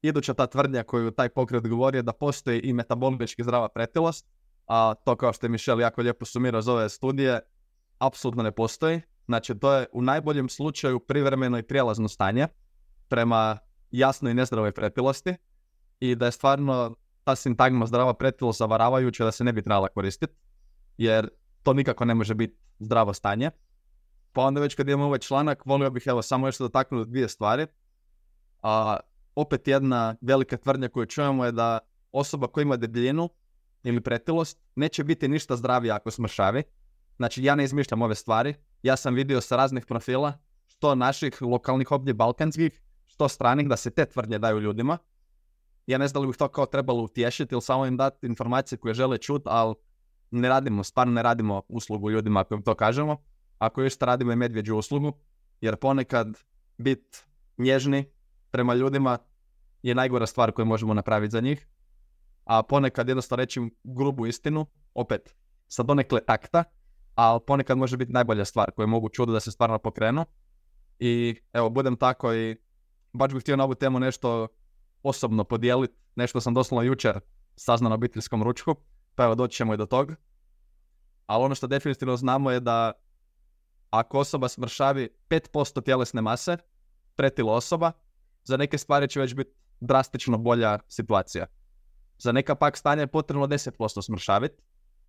Iduća ta tvrdnja koju taj pokret govori je da postoji i metabolički zdrava pretilost, a to kao što je Michelle jako lijepo sumirao iz ove studije, apsolutno ne postoji. Znači, to je u najboljem slučaju privremeno i prijelazno stanje prema jasnoj i nezdravoj pretilosti i da je stvarno ta sintagma zdrava pretilost zavaravajuća da se ne bi trebala koristiti, jer to nikako ne može biti zdravo stanje. Pa onda već kad imamo ovaj članak, volio bih samo još dotaknuti 2 stvari. Opet jedna velika tvrdnja koju čujemo je da osoba koja ima debljinu ili pretilost neće biti ništa zdravija ako smršavi. Znači, ja ne izmišljam ove stvari. Ja sam vidio sa raznih profila, što naših lokalnih ovdje balkanskih, što stranih, da se te tvrdnje daju ljudima. Ja ne znam da li bih to kao trebalo utješiti ili samo im dati informacije koje žele čuti, ali stvarno ne radimo uslugu ljudima ako im to kažemo. Ako još radimo i medvjeđu uslugu, jer ponekad biti nježni prema ljudima je najgora stvar koju možemo napraviti za njih. A ponekad jednostavno reći grubu istinu, opet sa donekle takta, ali ponekad može biti najbolja stvar koju mogu čuti da se stvarno pokrenu. I evo, budem tako i baš bih htio na ovu temu nešto osobno podijeliti, nešto sam doslovno jučer saznao na obiteljskom ručku, pa evo doći ćemo i do toga. Ali ono što definitivno znamo je da ako osoba smršavi 5% tjelesne mase, pretila osoba, za neke stvari će već biti drastično bolja situacija. Za neka pak stanja je potrebno 10% smršaviti,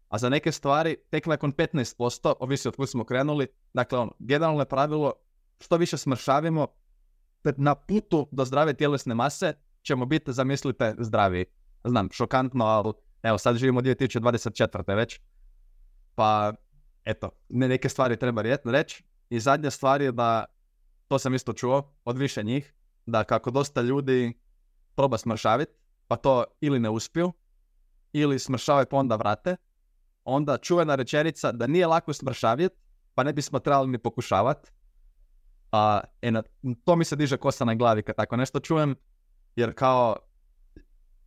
a za neke stvari tek nakon 15%, ovisi od kuda smo krenuli. Dakle, generalno je pravilo, što više smršavimo, na putu do zdrave tjelesne mase ćemo biti, zamislite, zdraviji. Znam, šokantno, ali evo, sad živimo 2024. već. Pa, eto, neke stvari treba reći. I zadnja stvar je da, to sam isto čuo od više njih, da kako dosta ljudi proba smršaviti, pa to ili ne uspiju, ili smršavaju pa onda vrate, onda čuvena rečenica da nije lako smršaviti, pa ne bismo trebali ni pokušavati. To mi se diže kosa na glavi kad tako nešto čujem, jer kao,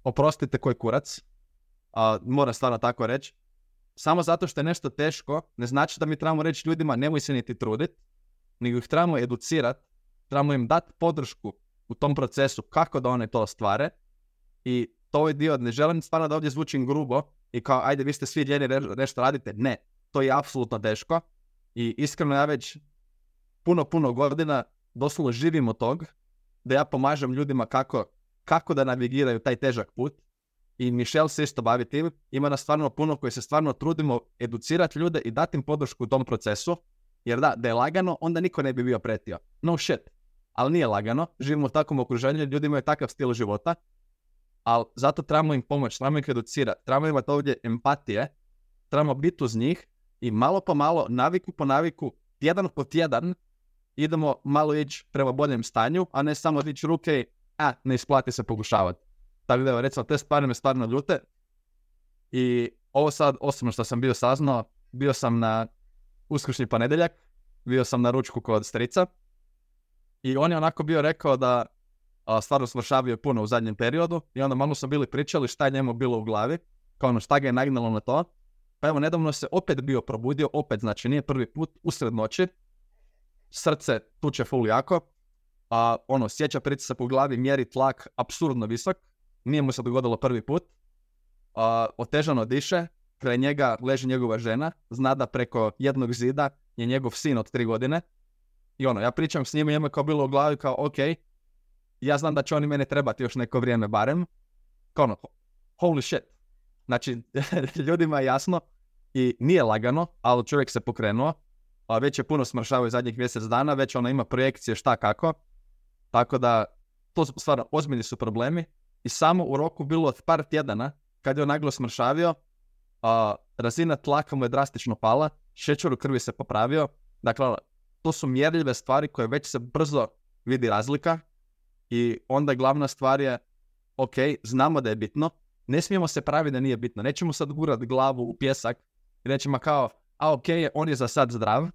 oprostite koji kurac, moram stvarno tako reći, samo zato što je nešto teško, ne znači da mi trebamo reći ljudima nemoj se niti truditi, nego ih trebamo educirati, trebamo im dati podršku u tom procesu kako da one to ostvare. I to je dio, ne želim stvarno da ovdje zvučim grubo i kao ajde vi ste svi ljeni, nešto radite. Ne, to je apsolutno teško i iskreno ja već puno godina doslovno živim od tog da ja pomažem ljudima kako da navigiraju taj težak put. I Michelle se isto bavi tim, ima nas stvarno puno koji se stvarno trudimo educirati ljude i dati im podršku u tom procesu, jer da je lagano, onda niko ne bi bio pretio. No shit. Ali nije lagano, živimo u takvom okruženju, ljudi imaju takav stil života, ali zato trebamo im pomoći, trebamo ih educirati, trebamo imati ovdje empatije, trebamo biti uz njih i malo po malo, naviku po naviku, tjedan po tjedan, idemo malo ići prema boljem stanju, a ne samo dići ruke i ne isplati se pokušavati. Tako da, recimo, te stvari me stvarno ljute. I ovo sad, osobno što sam bio saznao, bio sam na uskršnji ponedjeljak, bio sam na ručku kod strica i on je onako bio rekao da stvarno smršavio puno u zadnjem periodu i onda malo smo bili pričali šta je njemu bilo u glavi, kao ono šta ga je nagnalo na to. Pa evo, nedavno se opet bio probudio, opet, znači nije prvi put, usred noći, srce tuče full jako, sjeća pritisak u glavi, mjeri tlak apsurdno visok, nije mu se dogodilo prvi put, otežano diše, kraj njega leži njegova žena, zna da preko jednog zida je njegov sin od 3 godine i ja pričam s njima, njima kao bilo u glavi kao ok, ja znam da će oni mene trebati još neko vrijeme barem, kao holy shit. Znači, ljudima je jasno i nije lagano, ali čovjek se pokrenuo, već je puno smršavao zadnjih mjesec dana, već ima projekcije šta kako, tako da to stvarno ozbiljni su problemi i samo u roku bilo od par tjedana kad je on naglo smršavio, razina tlaka mu je drastično pala, šećer u krvi se popravio, dakle to su mjerljive stvari koje već se brzo vidi razlika i onda glavna stvar je ok, znamo da je bitno, ne smijemo se praviti da nije bitno, nećemo sad gurat glavu u pjesak i nećemo kao, ok, on je za sad zdrav,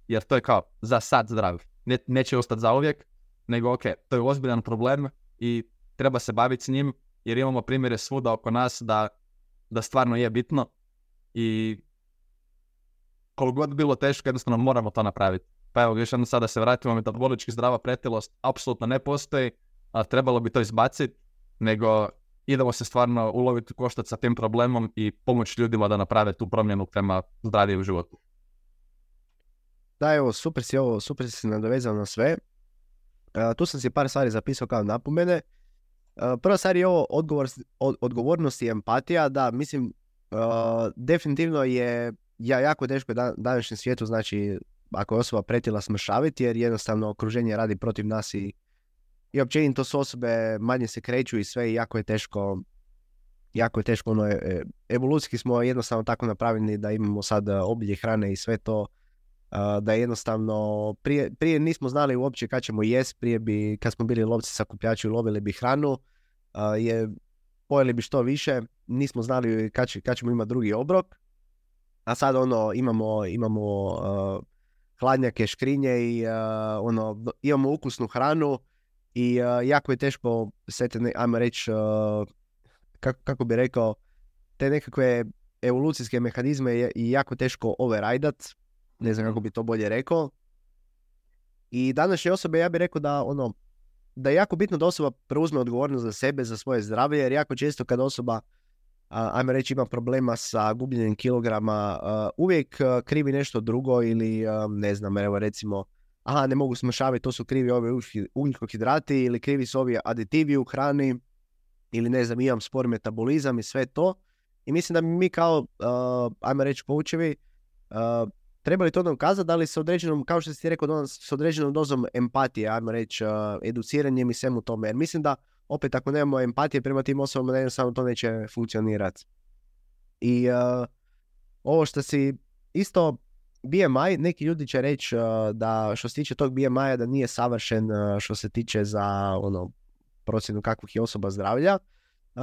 jer to je kao za sad zdrav, neće ostati zauvijek, nego ok, to je ozbiljan problem i treba se baviti s njim, jer imamo primjere svuda oko nas da stvarno je bitno i koliko god bilo teško, jednostavno moramo to napraviti. Pa evo, još jednom sada se vratimo, metabolički zdrava pretilost apsolutno ne postoji, a trebalo bi to izbaciti, nego idemo se stvarno uloviti u koštac sa tim problemom i pomoći ljudima da naprave tu promjenu prema zdravijem životu. Da, evo, super si se nadovezao na sve. Tu sam si par stvari zapisao kao napomene. Prva stvar je ovo odgovornost i empatija, da, mislim, definitivno je jako teško današnjem svijetu, znači, ako je osoba pretila smršaviti, jer jednostavno okruženje radi protiv nas i općenito su osobe manje se kreću i sve i jako je teško, evolucijski smo jednostavno tako napravljeni da imamo sad obilje hrane i sve to, da jednostavno prije nismo znali uopće kad ćemo jest, kad smo bili lovci sakupljači lovili bi hranu, pojeli bi što više, nismo znali kad ćemo imati drugi obrok, a sad imamo hladnjake, škrinje i imamo ukusnu hranu i jako je teško sve te, ajmo reći, kako bi rekao, te nekakve evolucijske mehanizme je jako teško overridat, ne znam kako bi to bolje rekao. I današnje osobe, ja bih rekao da je jako bitno da osoba preuzme odgovornost za sebe, za svoje zdravlje, jer jako često kad osoba, ajmo reći, ima problema sa gubljenjem kilograma, uvijek krivi nešto drugo ili, ne znam, evo recimo, ne mogu smršaviti, to su krivi ovi ugljikohidrati ili krivi su ovi aditivi u hrani ili ne znam, imam spor metabolizam i sve to. I mislim da mi kao, ajmo reći, poučevi, trebali to nam kazati, da li s određenom, kao što si ti rekao, s određenom dozom empatije, ajmo reći, educiranjem i svemu tome. Jer mislim da, opet, ako nemamo empatije prema tim osobama, jednostavno to neće funkcionirati. I ovo što si isto, BMI, neki ljudi će reći da što se tiče tog BMI-a da nije savršen što se tiče za procjenu kakvih je osoba zdravlja.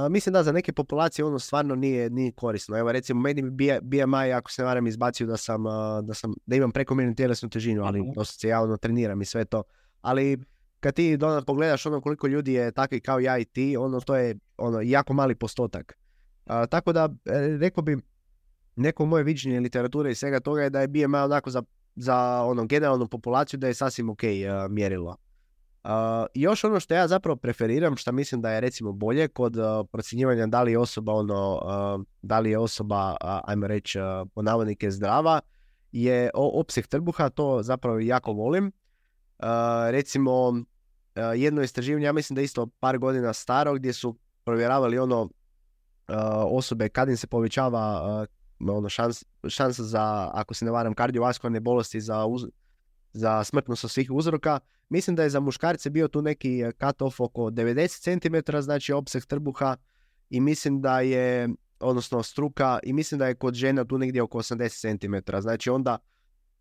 Mislim da za neke populacije stvarno nije korisno. Evo recimo meni BMI, ako se ne varam, izbacio da imam prekomjernu tjelesnu težinu, ali dosta se ja treniram i sve to. Ali kad ti pogledaš koliko ljudi je takvi kao ja i ti, to je jako mali postotak. Tako da rekao bi, neko moje viđenje literature i svega toga je da je BMI onako za generalnu populaciju da je sasvim ok mjerilo. Još ono što ja zapravo preferiram, što mislim da je recimo bolje kod procjenjivanja da li je osoba ajmo reći po navodnike zdrava, je opseg trbuha, to zapravo jako volim. Recimo jedno istraživanje, ja mislim da je isto par godina staro, gdje su provjeravali osobe kad im se povećava šansa za, ako se ne varam, kardiovaskularne bolesti, za smrtnost od svih uzroka. Mislim da je za muškarce bio tu neki cut-off oko 90 cm, znači opseg trbuha, i mislim da je, odnosno struka, i mislim da je kod žena tu negdje oko 80 cm. Znači onda,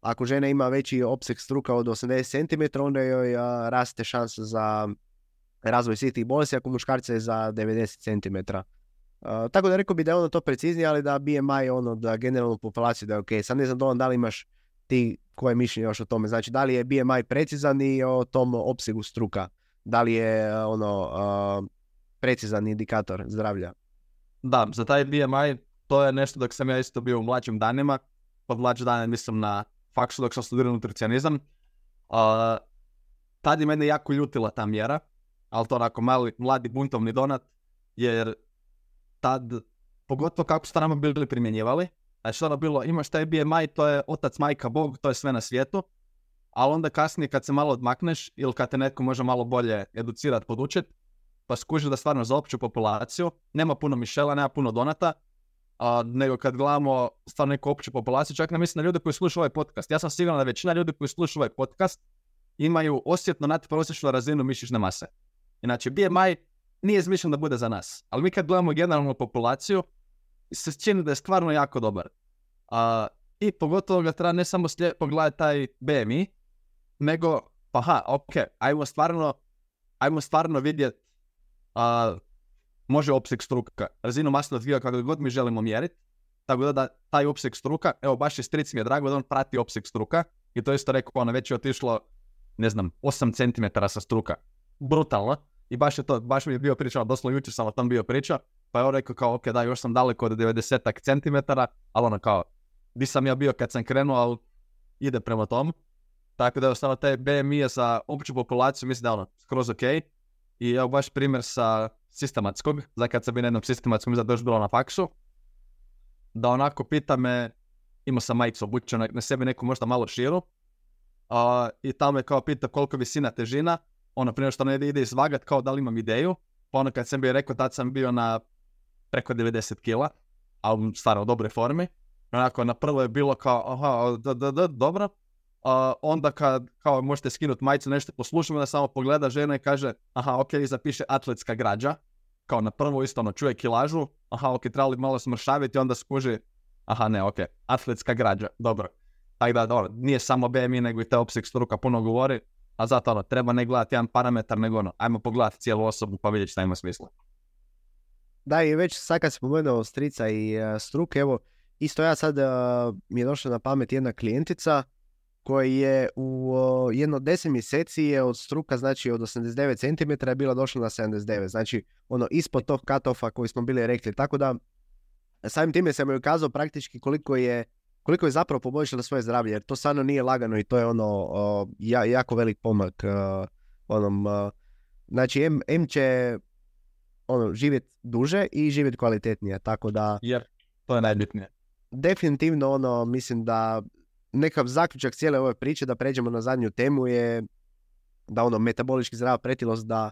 ako žena ima veći opseg struka od 80 cm, onda joj raste šansa za razvoj svih tih bolesti, ako muškarce je za 90 cm. Tako da rekao bi da je to preciznije, ali da BMI da generalnu populaciju da je ok. Sad ne znam da li imaš ti koje mišljenje još o tome. Znači, da li je BMI precizan i o tom opsegu struka? Da li je precizan indikator zdravlja? Da, za taj BMI to je nešto dok sam ja isto bio u mlađim danima. Pod mlađe dane mislim na faksu dok sam studirao nutricionizam. Tad je mene jako ljutila ta mjera, ali to onako mladi buntovni donat, jer tad, pogotovo kako su to nama bili primjenjivali, znači ono bilo, imaš taj BMI, to je otac, majka, Bog, to je sve na svijetu, ali onda kasnije kad se malo odmakneš ili kad te netko može malo bolje educirati, podučiti, pa skužiš da stvarno za opću populaciju nema puno Mišela, nema puno Donata, nego kad gledamo stvarno neku opću populaciju, čak ne mislim na ljude koji slušaju ovaj podcast. Ja sam siguran da većina ljudi koji slušaju ovaj podcast imaju osjetno nadprosječnu razinu mišićne mase. Inače, BMI nije izmišljen da bude za nas, ali mi kad gledamo generalnu populaciju, se čini da je stvarno jako dobar. I pogotovo ga treba ne samo pogledati taj BMI, nego, ajmo stvarno vidjeti, može opseg struka, razinu masnog tkiva kako god mi želimo mjeriti, tako da taj opseg struka, evo baš je stric mi je drago da on prati opseg struka, i to isto rekao, već je otišlo, 8 cm sa struka. Brutalno. I baš mi je bio pričao, doslovno jučer sam o tom bio pričao, pa je on rekao kao, ok, da, još sam daleko od 90 cm, ali di sam ja bio kad sam krenuo, ali ide prema tomu. Tako da je ostalo taj BMI za opću populaciju, mislim da skroz ok. I evo baš primjer sa sistematskog, za kad sam bio na jednom sistematskom, mislim da je još bilo na faksu, da onako pita me, imao sam majicu obučenu na sebi neku možda malo širu, i tamo me kao pita koliko visina, težina, prije što ide izvagat kao da li imam ideju, pa kad sam bio rekao, tad sam bio na preko 90 kila, ali stvarno u dobroj formi. Onako, na prvo je bilo kao, dobro. Onda kad kao možete skinuti majicu, nešto poslušamo, da samo pogleda žena i kaže, ok, zapiše atletska građa. Kao na prvo isto čuje kilažu, ok, trebali malo smršaviti, onda skuži, atletska građa, dobro. Tako da, dobro, nije samo BMI, nego i te opseg struka puno govori. A zato treba ne gledati jedan parametar, nego ajmo pogledati cijelu osobu pa vidjeti šta ima smisla. Da, i već sad kad se pomenuo strica i struke, evo, isto ja sad mi je došla na pamet jedna klijentica koja je u jedno 10 mjeseci je od struka, znači od 89 cm je bila došla na 79, znači ispod tog cut-offa koji smo bili rekli, tako da samim time sam joj ukazao praktički koliko je zapravo poboljšala svoje zdravlje, jer to stvarno nije lagano i to je jako velik pomak. Znači, M će živjeti duže i živjeti kvalitetnije, tako da... Jer, to je najbitnije. Definitivno, mislim da nekakav zaključak cijele ove priče, da pređemo na zadnju temu, je da metabolički zdrava pretilost da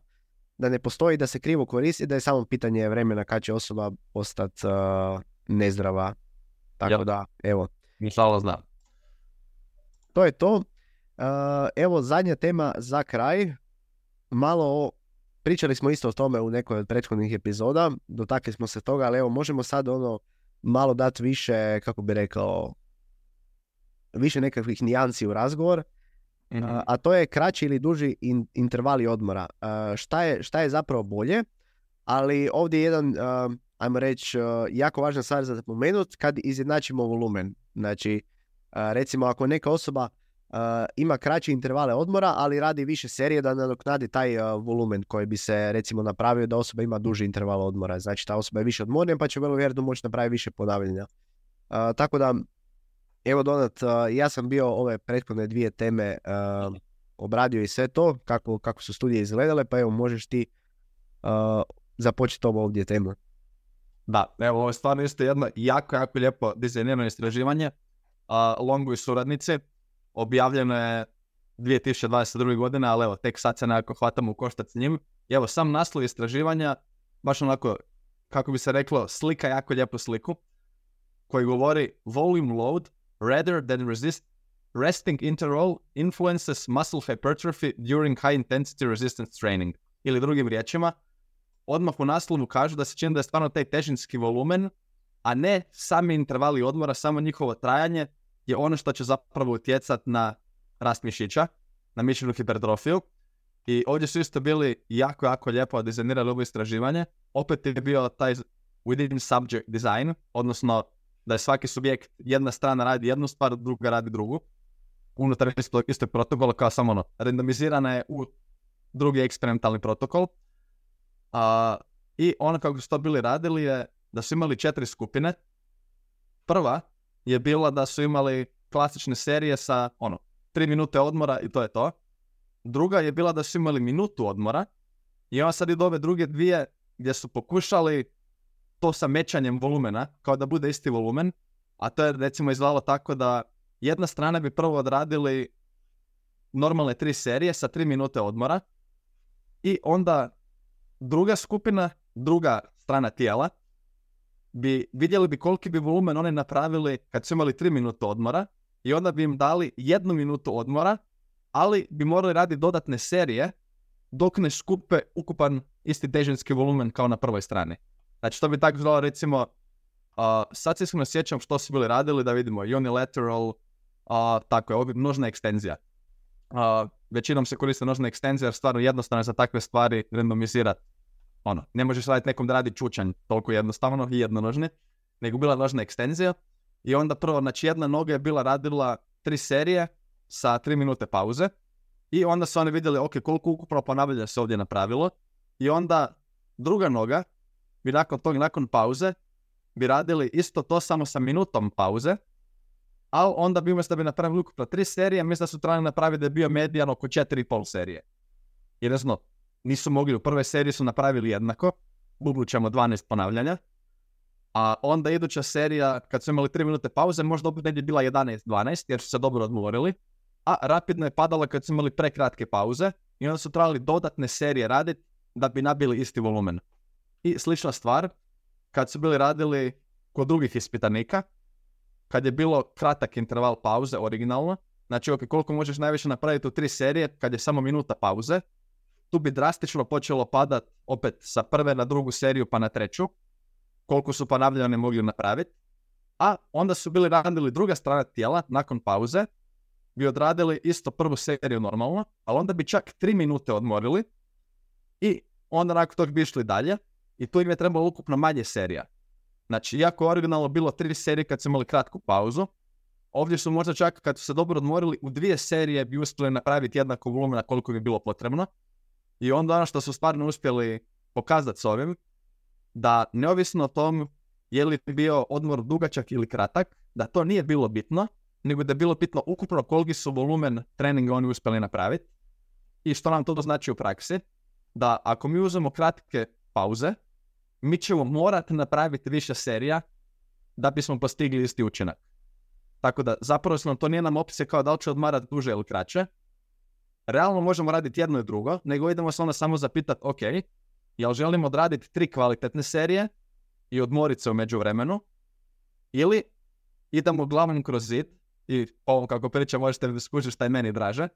ne postoji, da se krivo koristi, da je samo pitanje vremena kad će osoba postati nezdrava. Tako da, evo. Inshallah znam. To je to. Evo zadnja tema za kraj. Pričali smo isto o tome u nekoj od prethodnih epizoda. Dotakli smo se toga, ali evo možemo sad malo dati više, kako bi rekao, više nekakvih nijansi u razgovor. Mm-hmm. A to je kraći ili duži intervali odmora. Šta je zapravo bolje? Ali ovdje je jedan, ajmo reći, jako važna stvar za pomenuti kad izjednačimo volumen. Znači, recimo ako neka osoba ima kraće intervale odmora, ali radi više serije da nadoknadi taj volumen koji bi se recimo napravio da osoba ima duži interval odmora. Znači ta osoba je više odmornija pa će vrlo vjerojatno moći napraviti više ponavljanja. Tako da, evo Donat, ja sam bio ove prethodne dvije teme obradio i sve to, kako su studije izgledale, pa evo možeš ti započeti ovo ovdje temu. Da, evo ovo je stvarno isto jedno jako lijepo dizajnirano istraživanje. Longu i suradnici, objavljeno je 2022. godine, ali evo tek sad se nekako hvatamo u koštac s njim. I evo sam naslov istraživanja, baš onako, kako bi se reklo, slika jako lijepu sliku, koji govori volume load rather than resting interval influences muscle hypertrophy during high intensity resistance training. Ili drugim riječima, odmah u naslovu kažu da se čini da je stvarno taj težinski volumen, a ne sami intervali odmora, samo njihovo trajanje je ono što će zapravo utjecati na rast mišića, na mišićnu hipertrofiju. I ovdje su isto bili jako lijepo dizajnirali ovo istraživanje. Opet je bio taj within subject design, odnosno da je svaki subjekt, jedna strana radi jednu stvar, druga radi drugu. Unutar istog protokola, kao samo randomizirana je u drugi eksperimentalni protokol. I ono kako su to bili radili je da su imali 4 skupine. Prva je bila da su imali klasične serije sa 3 minute odmora i to je to. Druga je bila da su imali minutu odmora i onda sad idu ove druge dvije gdje su pokušali to sa mećanjem volumena, kao da bude isti volumen, a to je recimo izgledalo tako da jedna strana bi prvo odradili normalne 3 serije sa 3 minute odmora i onda druga skupina, druga strana tijela, vidjeli bi koliki bi volumen oni napravili kad su imali 3 minute odmora i onda bi im dali 1 minutu odmora, ali bi morali raditi dodatne serije dok ne skupe ukupan isti težinski volumen kao na prvoj strani. Znači to bi tako izgledalo recimo, sad se iskreno sjećam što su bili radili, da vidimo unilateral, tako je, množna ekstenzija. Većinom se koriste množna ekstenzija jer stvarno jednostavno je za takve stvari randomizirati. Ne možeš raditi nekom da radi čučanj toliko jednostavno i jednonožni, nego bila množna ekstenzija i onda prvo, znači jedna noga je bila radila 3 serije sa 3 minute pauze i onda su oni vidjeli ok, koliko ukupno ponavljanja se ovdje napravilo i onda druga noga bi nakon pauze bi radili isto to samo sa minutom pauze, ali onda bi umjesto da bi napravili ukupno 3 serije, mislim da su trebali napraviti da je bio medijan oko 4,5 serije. Jer nisu mogli, u prvoj seriji su napravili jednako, budućemo 12 ponavljanja, a onda iduća serija, kad su imali 3 minute pauze, možda opet negdje bila 11-12, jer su se dobro odmorili, a rapidno je padala kad su imali prekratke pauze i onda su trebali dodatne serije raditi da bi nabili isti volumen. I slična stvar, kad su bili radili kod drugih ispitanika, kad je bilo kratak interval pauze originalno, znači koliko možeš najviše napraviti u 3 serije kad je samo minuta pauze, tu bi drastično počelo padat opet sa prve na drugu seriju pa na treću, koliko su ponavljanja mogli napraviti, a onda su bili radili druga strana tijela nakon pauze, bi odradili isto prvu seriju normalno, ali onda bi čak 3 minute odmorili i onda nakon tog bi išli dalje i tu im je trebalo ukupno manje serija. Znači, iako je originalno bilo 3 serije kad su imali kratku pauzu, ovdje su možda čak kad su se dobro odmorili u 2 serije bi uspjeli napraviti jednako volumena koliko bi bilo potrebno. I onda ono što su stvarno uspjeli pokazati s ovim, da neovisno o tom je li bio odmor dugačak ili kratak, da to nije bilo bitno, nego da je bilo bitno ukupno koliki su volumen treninga oni uspjeli napraviti. I što nam to znači u praksi? Da ako mi uzmemo kratke pauze, mi ćemo morati napraviti više serija da bismo postigli isti učinak. Tako da zapravo to nije nam opcija kao da li će odmarati duže ili kraće. Realno možemo raditi jedno i drugo, nego idemo se onda samo zapitati, ok, jel želimo odraditi 3 kvalitetne serije i odmoriti se u međuvremenu, ili idemo glavom kroz zid, i ovom kako pričam možete da skužiti šta je meni draže,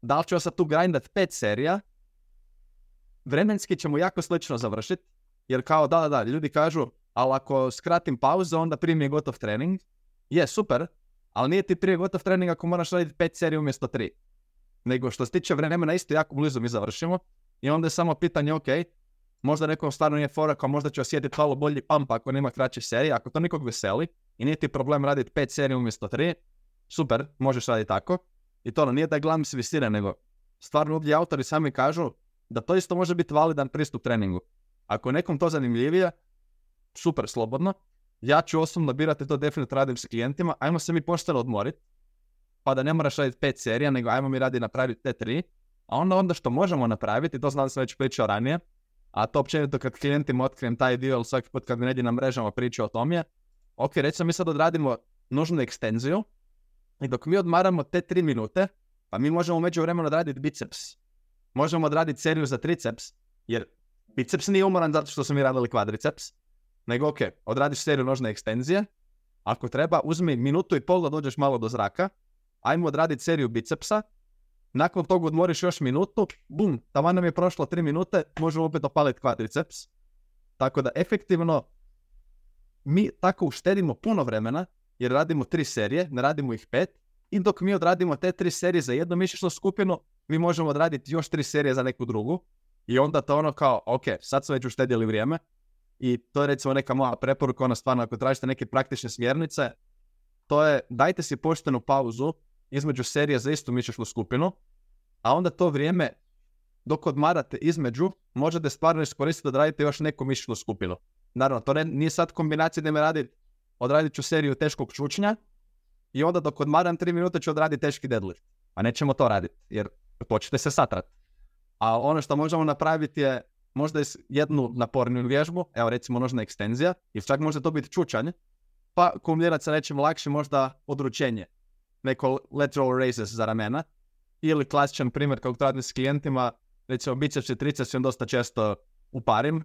da li ću sad tu grindat 5 serija, vremenski ćemo jako slično završiti, jer kao da, ljudi kažu, ali ako skratim pauzu, onda prije mi je gotov trening. Je, super, ali nije ti prije gotov trening ako moraš raditi 5 serija umjesto 3. Nego što se tiče vremena isto jako blizu mi završimo i onda je samo pitanje, ok, možda nekom stvarno nije fora, kao možda će osjetiti malo bolji pump ako nema kraće serije, ako to nikog veseli i nije ti problem raditi 5 serija umjesto 3, super, možeš raditi tako. I to nije da je glavni visine, nego stvarno ovdje autori sami kažu da to isto može biti validan pristup treningu. Ako je nekom to zanimljivije, super, slobodno. Ja ću osobno birati to, definitivno radim s klijentima, ajmo se mi pošteno odmoriti. pa da ne moraš raditi 5 serija, nego ajmo mi radi napraviti te 3, a onda što možemo napraviti, to znam da sam već pričao ranije, a to općenito kad klijentima otkrijem taj dio, ili svaki put kad mi negdje na mrežama priča o tom je, ok, recimo mi sad odradimo nužnu ekstenziju i dok mi odmaramo te 3 minute, pa mi možemo u međuvremenu odraditi biceps. Možemo odraditi seriju za triceps, jer biceps nije umoran zato što su mi radili kvadriceps, nego ok, odradiš seriju nožne ekstenzije, ako treba, uzmi minutu i pol da dođeš malo do zraka, ajmo odraditi seriju bicepsa, nakon toga odmoriš još minutu, bum, taman nam je prošlo 3 minute, možemo opet opaliti kvadriceps. Tako da efektivno mi tako uštedimo puno vremena, jer radimo 3 serije, ne radimo ih 5, i dok mi odradimo te 3 serije za jednu mišićnu skupinu, mi možemo odraditi još 3 serije za neku drugu, i onda to ono kao, ok, sad smo već uštedjeli vrijeme, i to je recimo neka moja preporuka, ona stvarno, ako tražite neke praktične smjernice, to je, dajte si poštenu pauzu između serija za istu mišićnu skupinu, a onda to vrijeme, dok odmarate između, možete stvarno iskoristiti da radite još neku mišićnu skupinu. Naravno, to nije sad kombinacija da me odradit ću seriju teškog čučnja, i onda dok odmaram 3 minute ću odraditi teški deadlift. A nećemo to raditi, jer počnete se satrat. A ono što možemo napraviti je možda jednu naporniju vježbu, evo recimo nožna ekstenzija, ili čak može to biti čučanje, pa kombinirati sa nečim lakšim, možda odručenje, neko lateral raises za ramena, ili klasičan primjer kako radim s klijentima, recimo biceps i triceps im dosta često uparim,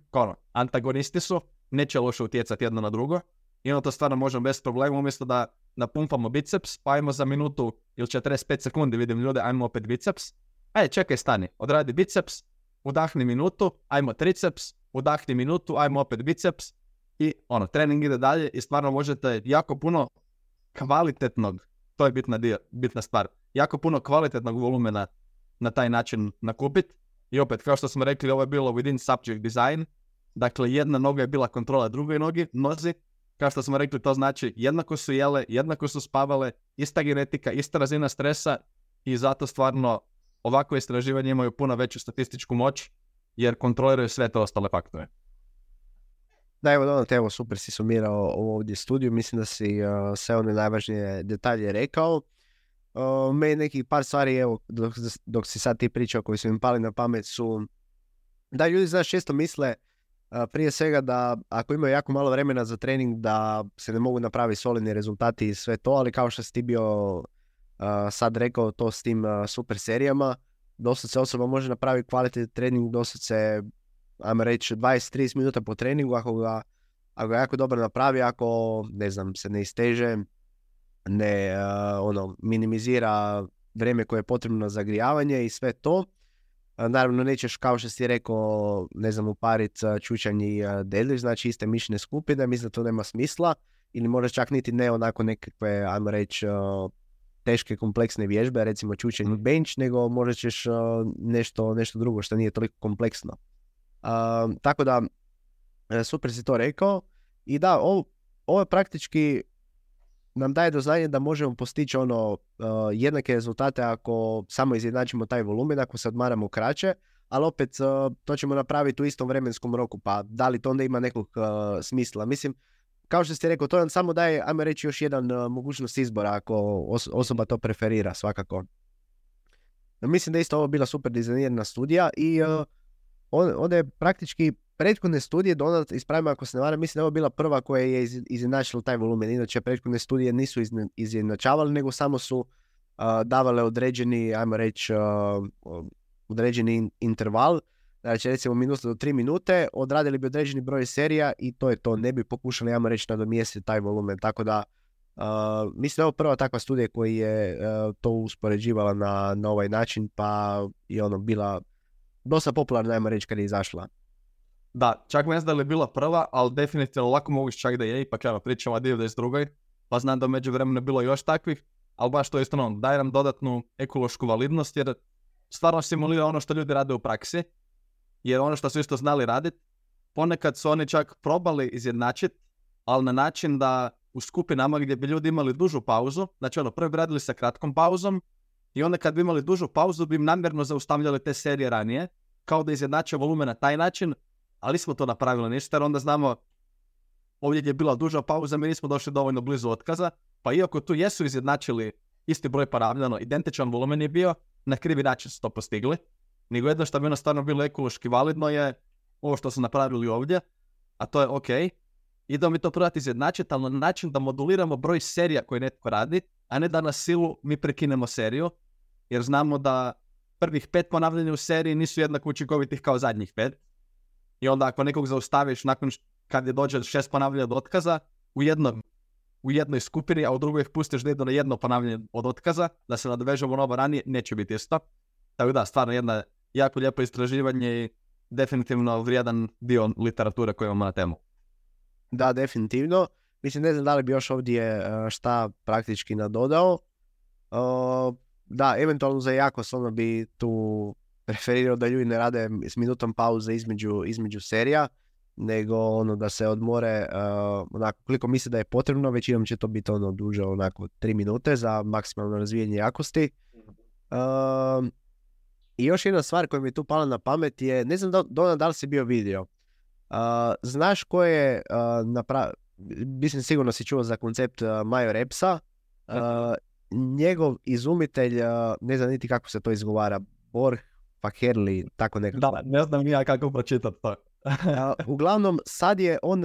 antagonisti su, neće loše utjecati jedno na drugo, i onda to stvarno možemo bez problema, umjesto da napumpamo biceps, pa ajmo za minutu ili 45 sekundi, vidim ljude, ajmo opet biceps, čekaj, stani, odradi biceps, udahni minutu, ajmo triceps, udahni minutu, ajmo opet biceps, i trening ide dalje i stvarno možete jako puno kvalitetnog, to je bitna stvar, jako puno kvalitetnog volumena na taj način nakupiti. I opet, kao što smo rekli, ovo je bilo within subject design, dakle jedna noga je bila kontrola drugoj nozi, kao što smo rekli, to znači jednako su jele, jednako su spavale, ista genetika, ista razina stresa, i zato stvarno ovakve istraživanje imaju puno veću statističku moć, jer kontroliraju sve te ostale faktore. Da, evo, super si sumirao ovdje studiju, mislim da si sve one najvažnije detalje rekao. Meni nekih par stvari, evo, dok si sad ti pričao koji su im pali na pamet su, da ljudi, znaš, često misle prije svega da ako imaju jako malo vremena za trening da se ne mogu napraviti solidni rezultati i sve to, ali kao što si ti bio sad rekao to s tim super serijama, dosta se osoba može napraviti kvalitetan trening, dosta se, ajmo reći, 20-30 minuta po treningu, ako ga jako dobro napravi, ako, ne znam, se ne isteže, ne minimizira vrijeme koje je potrebno za grijavanje i sve to. Naravno nećeš, kao što si rekao, ne znam, uparit čučanj i deadlift, znači iste mišićne skupine, mislim da to nema smisla, ili možda čak niti ne onako nekakve, ajmo reći, teške kompleksne vježbe, recimo čučanj i bench, nego možda ćeš nešto drugo što nije toliko kompleksno. Tako da, super si to rekao, i da, ovo je praktički nam daje do znanja da možemo postići jednake rezultate ako samo izjednačimo taj volumen, ako se odmaramo kraće, ali opet to ćemo napraviti u istom vremenskom roku, pa da li to onda ima nekog smisla? Mislim, kao što ste rekao, to nam samo daje, ajmo reći, još jedan mogućnost izbora ako osoba to preferira svakako. Mislim da isto ovo bila super dizajnirana studija i onda je praktički prethodne studije, ispravimo ako se ne varam, mislim da je ovo bila prva koja je izjednačila taj volumen. Inače, prethodne studije nisu izjednačavale, nego samo su davale određeni, ajmo reći, određeni interval. Znači, recimo minuta do 3 minute, odradili bi određeni broj serija i to je to. Ne bi pokušali, ajmo reći, nadomjestiti taj volumen. Tako da, mislim da je ovo prva takva studija koja je to uspoređivala na ovaj način, pa je bila dosta popularna, ajmo reći, kad je izašla. Da, čak ne znam da li je bila prva, ali definitivno lako moguće čak da je, ipak pričamo o 92. Pa znam da među vremenu je bilo još takvih, ali baš to isto daje nam dodatnu ekološku validnost, jer stvarno simulira ono što ljudi rade u praksi, jer ono što su isto znali raditi, ponekad su oni čak probali izjednačiti, ali na način da u skupinama gdje bi ljudi imali dužu pauzu, znači prvi bi radili sa kratkom pauzom, i onda kad bi imali dužu pauzu bi im namjerno zaustavljali te serije ranije, kao da izjednače volumen na taj način, ali smo to napravili ništa, jer onda znamo, ovdje je bila duža pauza, mi nismo došli dovoljno blizu otkaza, pa iako tu jesu izjednačili isti broj ponavljano, identičan volumen je bio, na krivi način su to postigli, nego jedno što bi ono stvarno bilo ekološki validno je ovo što su napravili ovdje, a to je ok, idemo mi to probati izjednačiti, ali na način da moduliramo broj serija koje netko radi, a ne da na silu mi prekinemo seriju, jer znamo da prvih 5 ponavljanja u seriji nisu jednako učinkovitih kao zadnjih 5. I onda ako nekog zaustaviš nakon kad je dođe 6 ponavljanja od otkaza, u jednoj skupini, a u drugoj ih pustiš da idu na jedno ponavljanje od otkaza, da se nadovežemo novo ranije, neće biti isto. Tako da, stvarno jedno jako lijepo istraživanje i definitivno vrijedan dio literature koju imamo na temu. Da, definitivno. Mislim, ne znam da li bi još ovdje šta praktički nadodao. Da, eventualno za Jakos ono bi tu preferirao da ljudi ne rade s minutom pauze između serija, nego ono da se odmore onako koliko misle da je potrebno, većinom će to biti ono duže onako 3 minute za maksimalno razvijanje jakosti. I još jedna stvar koja mi je tu pala na pamet je, ne znam da li si bio vidio, znaš ko je mislim sigurno si čuo za koncept Major Epsa, njegov izumitelj, ne znam niti kako se to izgovara, Borg Fakerli, tako nekako. Da, ne znam ja kako pročitati to. Uglavnom, sad je on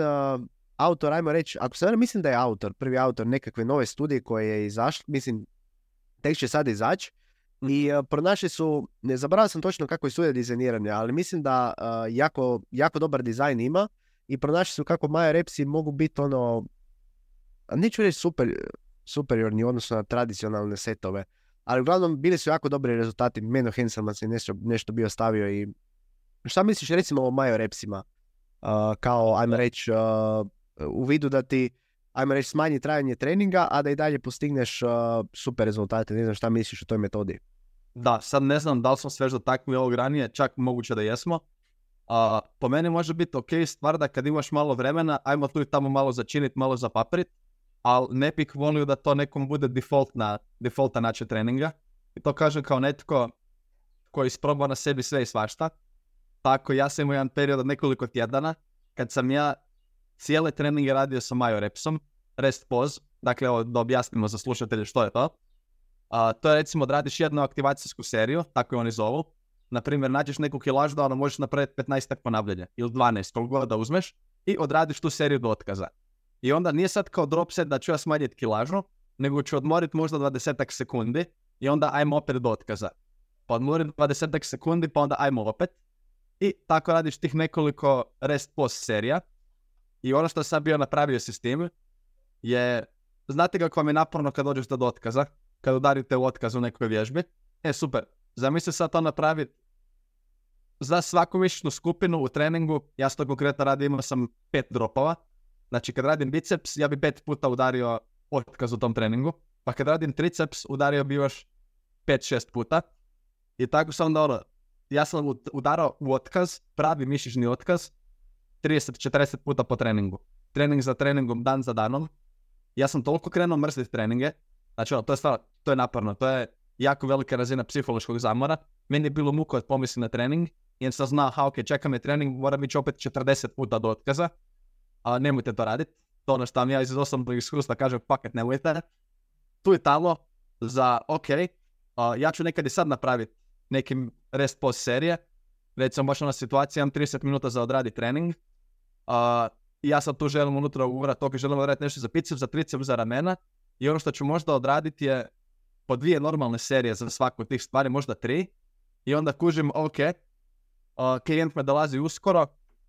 autor, ajmo reći, ako se mislim da je prvi autor nekakve nove studije koje je izašla, mislim, tek će sad izaći, i pronašli su, ne zaboravio sam točno kako je studija dizajnirana, ali mislim da jako dobar dizajn ima i pronašli su kako Major Epsi mogu biti ono, neću reći superiorni u odnosu na tradicionalne setove, ali uglavnom bili su jako dobri rezultati. Menno Henselman se nešto bio stavio. I šta misliš recimo o Major Epsima? Kao, ajmo reći, u vidu da ti, ajmo reći, smanji trajanje treninga, a da i dalje postigneš super rezultate. Ne znam šta misliš o toj metodi. Da, sad ne znam da li smo sve već dotaknuli ovog ranije, čak moguće da jesmo. Po meni može biti ok stvar da kad imaš malo vremena, ajmo tu i tamo malo začiniti, malo zapaprit, ali ne bih volio da to nekom bude defaulta način treninga. I to kažem kao netko koji isprobao na sebi sve i svašta. Tako ja sam imao jedan period od nekoliko tjedana kad sam ja cijele treninge radio sa Major Epsom, rest pause, dakle da objasnimo za slušatelje što je to. To je recimo da radiš jednu aktivacijsku seriju, tako je oni zovu. Naprimjer, nađeš neku kilažu da ono možeš napraviti 15 ponavljanja ili 12, koliko god da uzmeš i odradiš tu seriju do otkaza. I onda nije sad kao drop set da ću ja smanjiti kilažu, nego ću odmoriti možda 20 sekundi i onda ajmo opet do otkaza. Pa odmorim 20 sekundi, pa onda ajmo opet. I tako radiš tih nekoliko rest pause serija. I ono što sam bio napravio s tim je, znate kako vam je naporno kad dođeš do otkaza, kad udarite u otkaz u nekoj vježbi? Super, zamisli sad to napraviti za svaku mišićnu skupinu u treningu. Ja to konkretno radim, imao sam 5 dropova. Znači kad radim biceps, ja bi 5 puta udario otkaz u tom treningu, pa kad radim triceps, udario bi još 5-6 puta. I tako sam onda ja sam udarao u otkaz, pravi mišićni otkaz, 30-40 puta po treningu. Trening za treningom, dan za danom. Ja sam toliko krenuo mrziti treninge, znači to je naporno, to je jako velika razina psihološkog zamora. Meni je bilo muko od pomisli na trening, jer sam znao, ok, čeka me trening, moram ići opet 40 puta do otkaza. Nemojte to raditi. To ono što vam ja iz osobnog iskustva kažem, paket nemojte. Tu i tamo za ja ću nekad i sad napraviti nekim rest pause serije. Recimo baš ona situacija, imam 30 minuta za odradi trening. Ja sad tu želim unutra uvrati, želim odraditi nešto za biceps, za triceps, za ramena. I ono što ću možda odraditi je po 2 normalne serije za svaku od tih stvari, možda 3. I onda kužim, klijent me dolazi uskoro,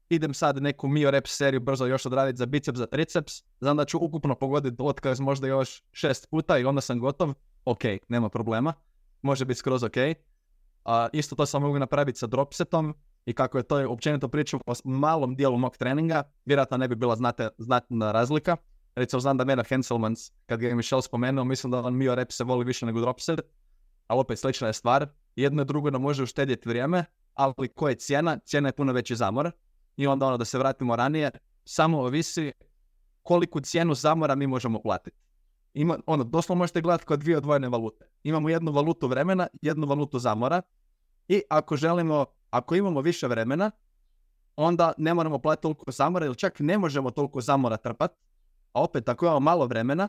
idem sad neku Mio Reps seriju brzo još odraditi za biceps, za triceps, znam da ću ukupno pogoditi otkaz možda još 6 puta i onda sam gotov. Ok, nema problema, može biti skroz ok. Isto to sam mogu napraviti sa dropsetom i kako je to općenito pričam o malom dijelu mog treninga, vjerojatno ne bi bila znatna razlika. Recimo znam da Menno Henselmans, kad ga je Michel spomenuo, mislim da on Mio Reps se voli više nego dropset, ali opet slična je stvar. Jedno i drugo nam može uštedjeti vrijeme, ali koja je cijena? Cijena je puno veći zamor. I onda da se vratimo ranije, samo ovisi koliku cijenu zamora mi možemo platiti. Doslovno možete gledati kao 2 odvojene valute. Imamo jednu valutu vremena, jednu valutu zamora i ako imamo više vremena, onda ne moramo platiti toliko zamora ili čak ne možemo toliko zamora trpati. A opet, ako imamo malo vremena,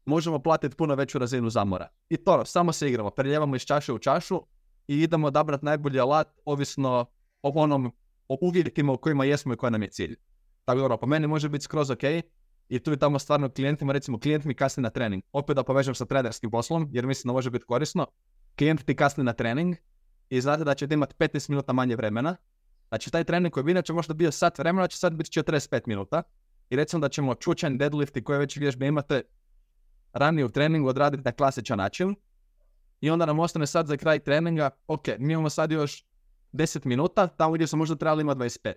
možemo platiti puno veću razinu zamora. I to, samo se igramo, preljevamo iz čaše u čašu i idemo odabrati najbolji alat, ovisno o uvjetima u kojima jesmo i koji nam je cilj. Tako da, po meni može biti skroz ok, i tu i tamo stvarno klijentima, recimo klijent mi kasni na trening. Opet da povežem sa trenerskim poslom, jer mislim da može biti korisno. Klijent ti kasni na trening i znate da ćete imati 15 minuta manje vremena. Znači taj trening koji bi inače možda bio sat vremena, će sad biti 45 minuta. I recimo da ćemo čučanj, deadlift i koje već vježbe imate ranije u treningu odraditi na klasičan način. I onda nam ostane sad za kraj treninga, ok, mi imamo sad još 10 minuta, tamo gdje smo možda trebali imati 25.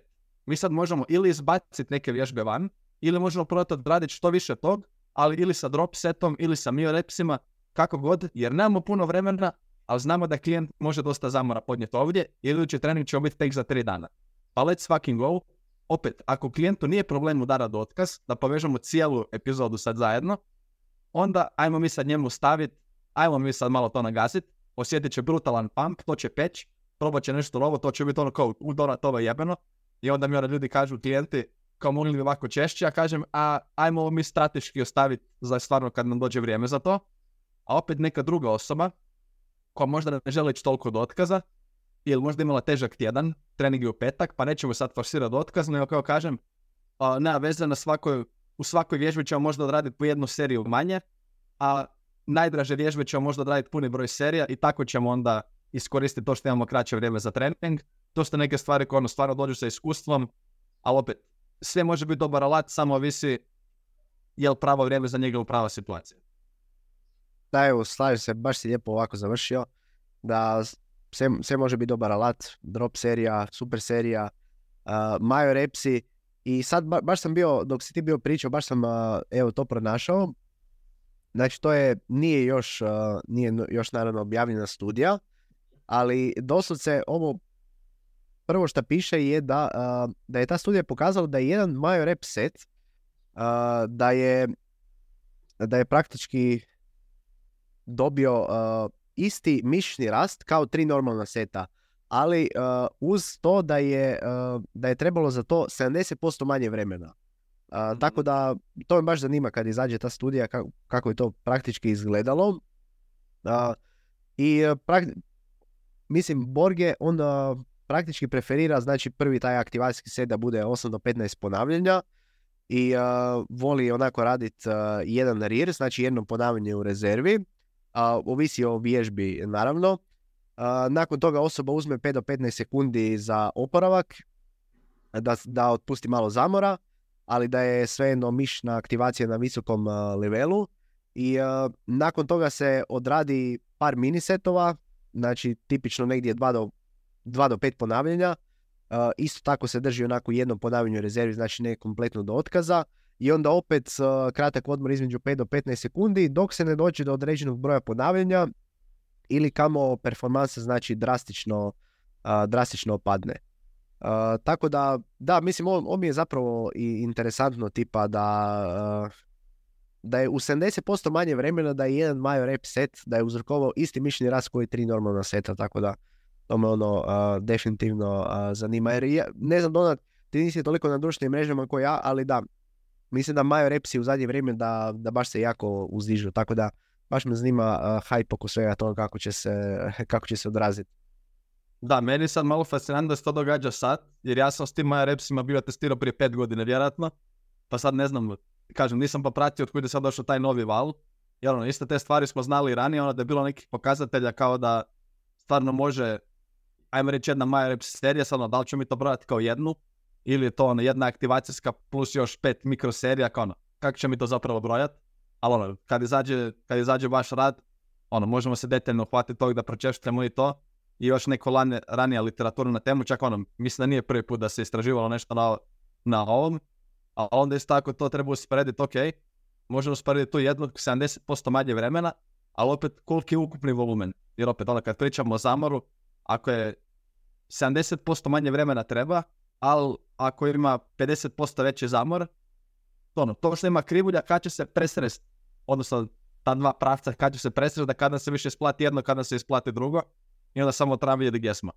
Mi sad možemo ili izbaciti neke vježbe van, ili možemo probati odraditi što više tog, ali ili sa drop setom, ili sa mio-repsima, kako god, jer nemamo puno vremena, ali znamo da klijent može dosta zamora podnijeti ovdje, i idući trening će biti tek za 3 dana. Pa let's fucking go. Opet, ako klijentu nije problem udarati otkaz, da povežemo cijelu epizodu sad zajedno, onda ajmo mi sad njemu staviti, ajmo mi sad malo to nagasiti, osjetit će brutalan pump, to će peć, probat će nešto novo, to će biti ono kao udorat ovo jebeno, i onda mi ljudi kažu klijenti, kao mogli bi ovako češće, ja kažem, ajmo ovo mi strateški ostaviti za stvarno kad nam dođe vrijeme za to, a opet neka druga osoba, koja možda ne želi ići toliko do otkaza, ili možda imala težak tjedan, trening je u petak, pa nećemo sad forsirati otkaz, nego kao kažem, nema veze, u svakoj vježbi ćemo možda odraditi po jednu seriju manje, a najdraže vježbe ćemo možda odraditi puni broj serija i tako ćemo onda iskoristiti to što imamo kraće vrijeme za trening. To su neke stvari koje stvarno dođu sa iskustvom, ali opet, sve može biti dobar alat, samo ovisi je li pravo vrijeme za njega u prava situacija. Da, evo, slažem se, baš si lijepo ovako završio, da sve može biti dobar alat, drop serija, super serija, mio-repsi, i sad baš sam bio, dok si ti bio pričao, baš sam evo to pronašao. Znači to nije još naravno objavljena studija, ali doslovce ovo prvo što piše je da je ta studija pokazala da je jedan mio-rep set da je praktički dobio isti mišićni rast kao 3 normalna seta, ali uz to da je trebalo za to 70% manje vremena. Tako da to me baš zanima kad izađe ta studija kako je to praktički izgledalo. Mislim, Borge on praktički preferira, znači prvi taj aktivacijski set da bude 8 do 15 ponavljanja i voli onako raditi jedan rear, znači jedno ponavljanje u rezervi, ovisi o vježbi naravno. Nakon toga osoba uzme 5 do 15 sekundi za oporavak, da otpusti malo zamora, ali da je svejedno mišićna aktivacija na visokom levelu, i nakon toga se odradi par minisetova, znači tipično negdje 2 do 5 ponavljanja. Isto tako se drži onako jedno ponavljanje u rezervi, znači ne kompletno do otkaza, i onda opet kratak odmor između 5 do 15 sekundi dok se ne dođe do određenog broja ponavljanja ili kamo performansa znači drastično opadne. Tako da, mislim, ovo mi je zapravo i interesantno tipa da je u 70% manje vremena da je jedan mio-rep set da je uzrokovao isti mišićni rast koji 3 normalna seta, tako da to me definitivno zanima. Jer ja, ne znam, Donat, ti nisi toliko na društvenim mrežama kao ja, ali da, mislim da mio-repsi u zadnje vrijeme da baš se jako uzdižu, tako da baš me zanima hype oko svega toga kako će se odraziti. Da, meni sad malo fascinantno da se to događa sad, jer ja sam s tim mio-repsima bio testirao prije 5 godina vjerojatno, pa sad ne znam, kažem, nisam pa pratio od kuda je sad došao taj novi val, jer iste te stvari smo znali i ranije, da je bilo nekih pokazatelja kao da stvarno može, ajmo reći, jedna mio-reps serija, sad da li ćemo mi to brojati kao jednu, ili je to jedna aktivacijska plus još 5 mikroserija, kao kako će mi to zapravo brojati, ali kad izađe vaš rad, možemo se detaljno hvatiti tog da pročešljamo i to, i još neko ranija literatura na temu, čak mislim da nije prvi put da se istraživalo nešto na ovom, a onda isto tako to treba usporediti, ok, možemo usporediti tu jednog 70% manje vremena, ali opet koliki je ukupni volumen, jer opet kad pričamo o zamoru, ako je 70% manje vremena treba, ali ako ima 50% veći zamor, to što ima krivulja kad će se presresti, odnosno ta dva pravca kad će se presresti, da kada se više isplati jedno, kada se isplati drugo, i onda samo treba vidjeti gdje smo.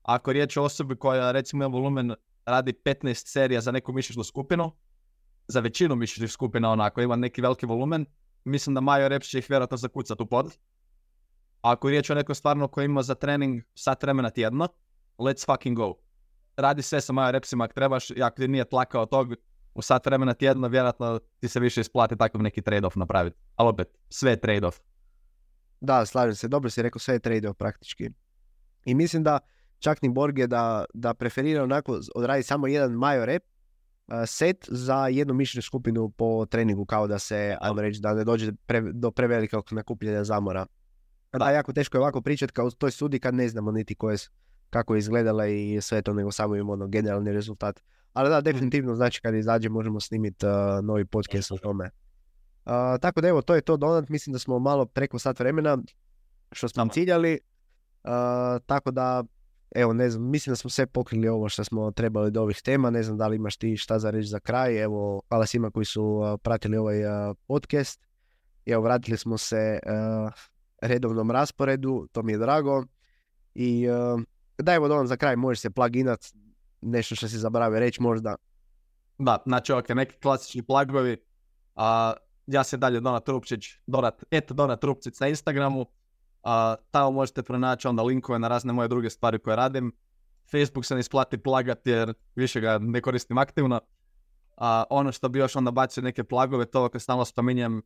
Ako je riječ o osobi koja recimo ima volumen, radi 15 serija za neku mišićnu skupinu, za većinu mišićnih skupina ima neki veliki volumen, mislim da Majo Reps će ih vjerojatno zakucati u pod. Ako je riječ o nekoj stvarno koji ima za trening sat vremena tjedno, let's fucking go. Radi sve sa Majo Repsima ako trebaš, i ako ti nije tlakao tog u sat vremena tjedno, vjerojatno ti se više isplati takav neki trade-off napraviti. Ali opet, sve je trade-off. Da, slažem se, dobro si rekao, sve je trade-off praktički. I mislim da čak ni Borg je da preferira onako odradi samo jedan Majo Rep set za jednu mišljenu skupinu po treningu, kao da se, ajmo reći, da ne dođe do prevelikog nakupljanja zamora. Da, jako teško je ovako pričati kao u toj sudi kad ne znamo niti kako je izgledala i sve to, nego samo imamo generalni rezultat. Ali da, definitivno, znači kad izađe možemo snimiti novi podcast o tome. Tako da evo, to je to donat, mislim da smo malo preko sat vremena što smo ciljali. Tako da, evo, ne znam, mislim da smo sve pokrili ovo što smo trebali do ovih tema, ne znam da li imaš ti šta za reći za kraj. Evo, hvala svima koji su pratili ovaj podcast. Evo, vratili smo se redovnom rasporedu, to mi je drago. I da, evo, Donan, za kraj možeš se pluginat, nešto što si zaboravio reći možda. Da, znači neki klasični plugovi. Ja se dalje Donat Trupčić, Donat Trupčić na Instagramu. Tamo možete pronaći onda linkove na razne moje druge stvari koje radim. Facebook se ne isplati plagati jer više ga ne koristim aktivno. Ono što bi još onda bacio neke plagove, to kad stalno spominjem,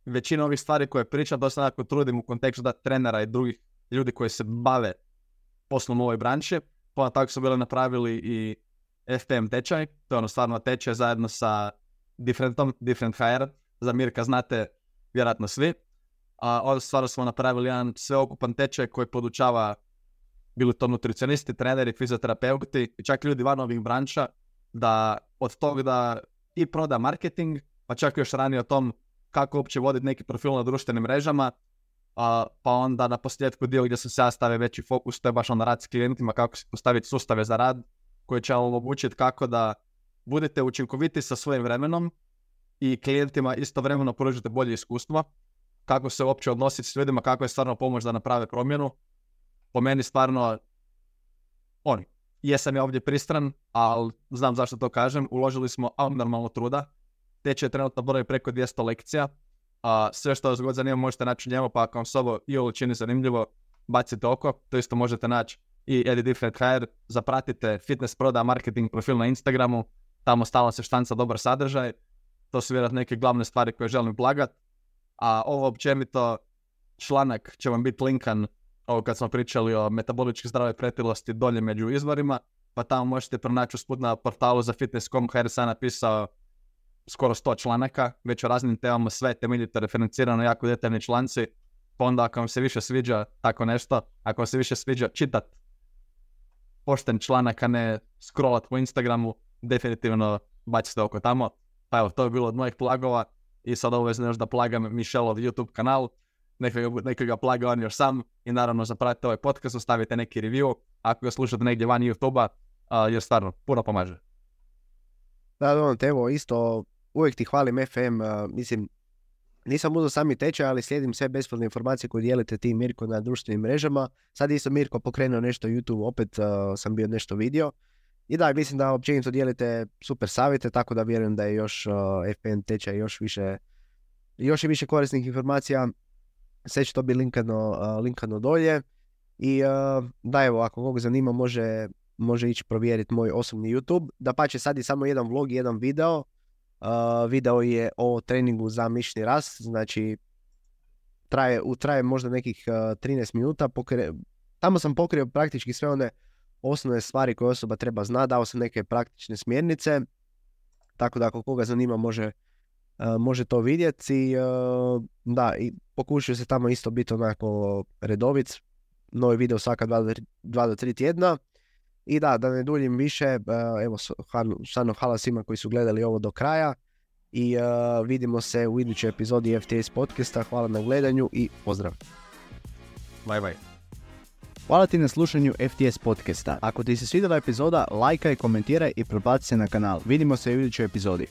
većina ovih stvari koje pričam, to se nekako trudim u kontekstu da trenera i drugih ljudi koji se bave poslom u ovoj branši. Pa tako su bili napravili i FPM tečaj, to je ono stvarno tečaj zajedno sa Different HR, za Mirka znate vjerojatno svi. Ovdje stvarno smo napravili jedan sveokupan tečaj koji podučava, bili to nutricionisti, treneri, fizioterapeuti i čak ljudi van ovih branša, da od toga da i proda marketing, pa čak još ranije o tom kako uopće voditi neki profil na društvenim mrežama, pa onda na posljedku dio gdje sam se ja stavio veći fokus, to je baš onda rad s klijentima, kako se postaviti sustave za rad koji će vam omogućiti kako da budete učinkoviti sa svojim vremenom i klijentima istovremeno pružite bolje iskustvo, kako se uopće odnositi s ljudima, kako je stvarno pomoć da naprave promjenu. Po meni stvarno, jesam ja ovdje pristran, ali znam zašto to kažem, uložili smo abnormalno truda, tečaj je trenutno broji preko 200 lekcija, sve što vas god zanima možete naći u njemu, pa ako vam se ovo i ovo čini zanimljivo, bacite oko, to isto možete naći i Eddie Different HR, zapratite fitness proda marketing profil na Instagramu, tamo stalno se štanca dobar sadržaj, to su vjerojatno neke glavne stvari koje želim plagat, a ovo općenito članak će vam biti linkan, ovo kad smo pričali o metabolički zdravoj pretilosti dolje među izvorima, pa tamo možete pronaći usput na portalu za fitness.com, HR sam napisao skoro 100 članaka, već o raznim temama, sve temeljito referencirano, jako detaljni članci, pa onda ako vam se više sviđa tako nešto, ako vam se više sviđa čitat pošten članak, a ne scrollat po Instagramu, definitivno bacite oko tamo. Pa evo, to je bilo od mojih plagova i sad obavezno još da plagam Mišelov YouTube kanal, neka ga plaga on još sam i naravno zapratite ovaj podcast, ostavite neki review ako ga slušate negdje van YouTube-a, jer stvarno puno pomaže. Da, evo, isto uvijek ti hvalim FM, mislim, nisam uzeo sami tečaj, ali slijedim sve besplatne informacije koje dijelite ti, Mirko, na društvenim mrežama. Sad isto Mirko pokrenuo nešto YouTube, opet sam bio nešto vidio. I da, mislim da općenito dijelite super savjete, tako da vjerujem da je još FPN tečaj još i više korisnih informacija. Sve će to biti linkano dolje. I da, evo, ako koga zanima može ići provjeriti moj osobni YouTube. Dapače, sad je samo jedan vlog i jedan video. Video je o treningu za mišićni rast, znači traje možda nekih 13 minuta. Tamo sam pokrio praktički sve one osnovne stvari koje osoba treba znati, dao sam neke praktične smjernice, tako da ako koga zanima može to vidjeti. I da, i pokušaju se tamo isto biti onako redovit, novi video svaka 2 do 3 tjedna. I da ne duljim više, evo, stvarno hvala svima koji su gledali ovo do kraja i vidimo se u idućoj epizodi FTS podcasta. Hvala na gledanju i pozdrav. Bye. Hvala ti na slušanju FTS podcasta. Ako ti se svidjela epizoda, lajkaj, komentiraj i prebaci se na kanal. Vidimo se u idućoj epizodi.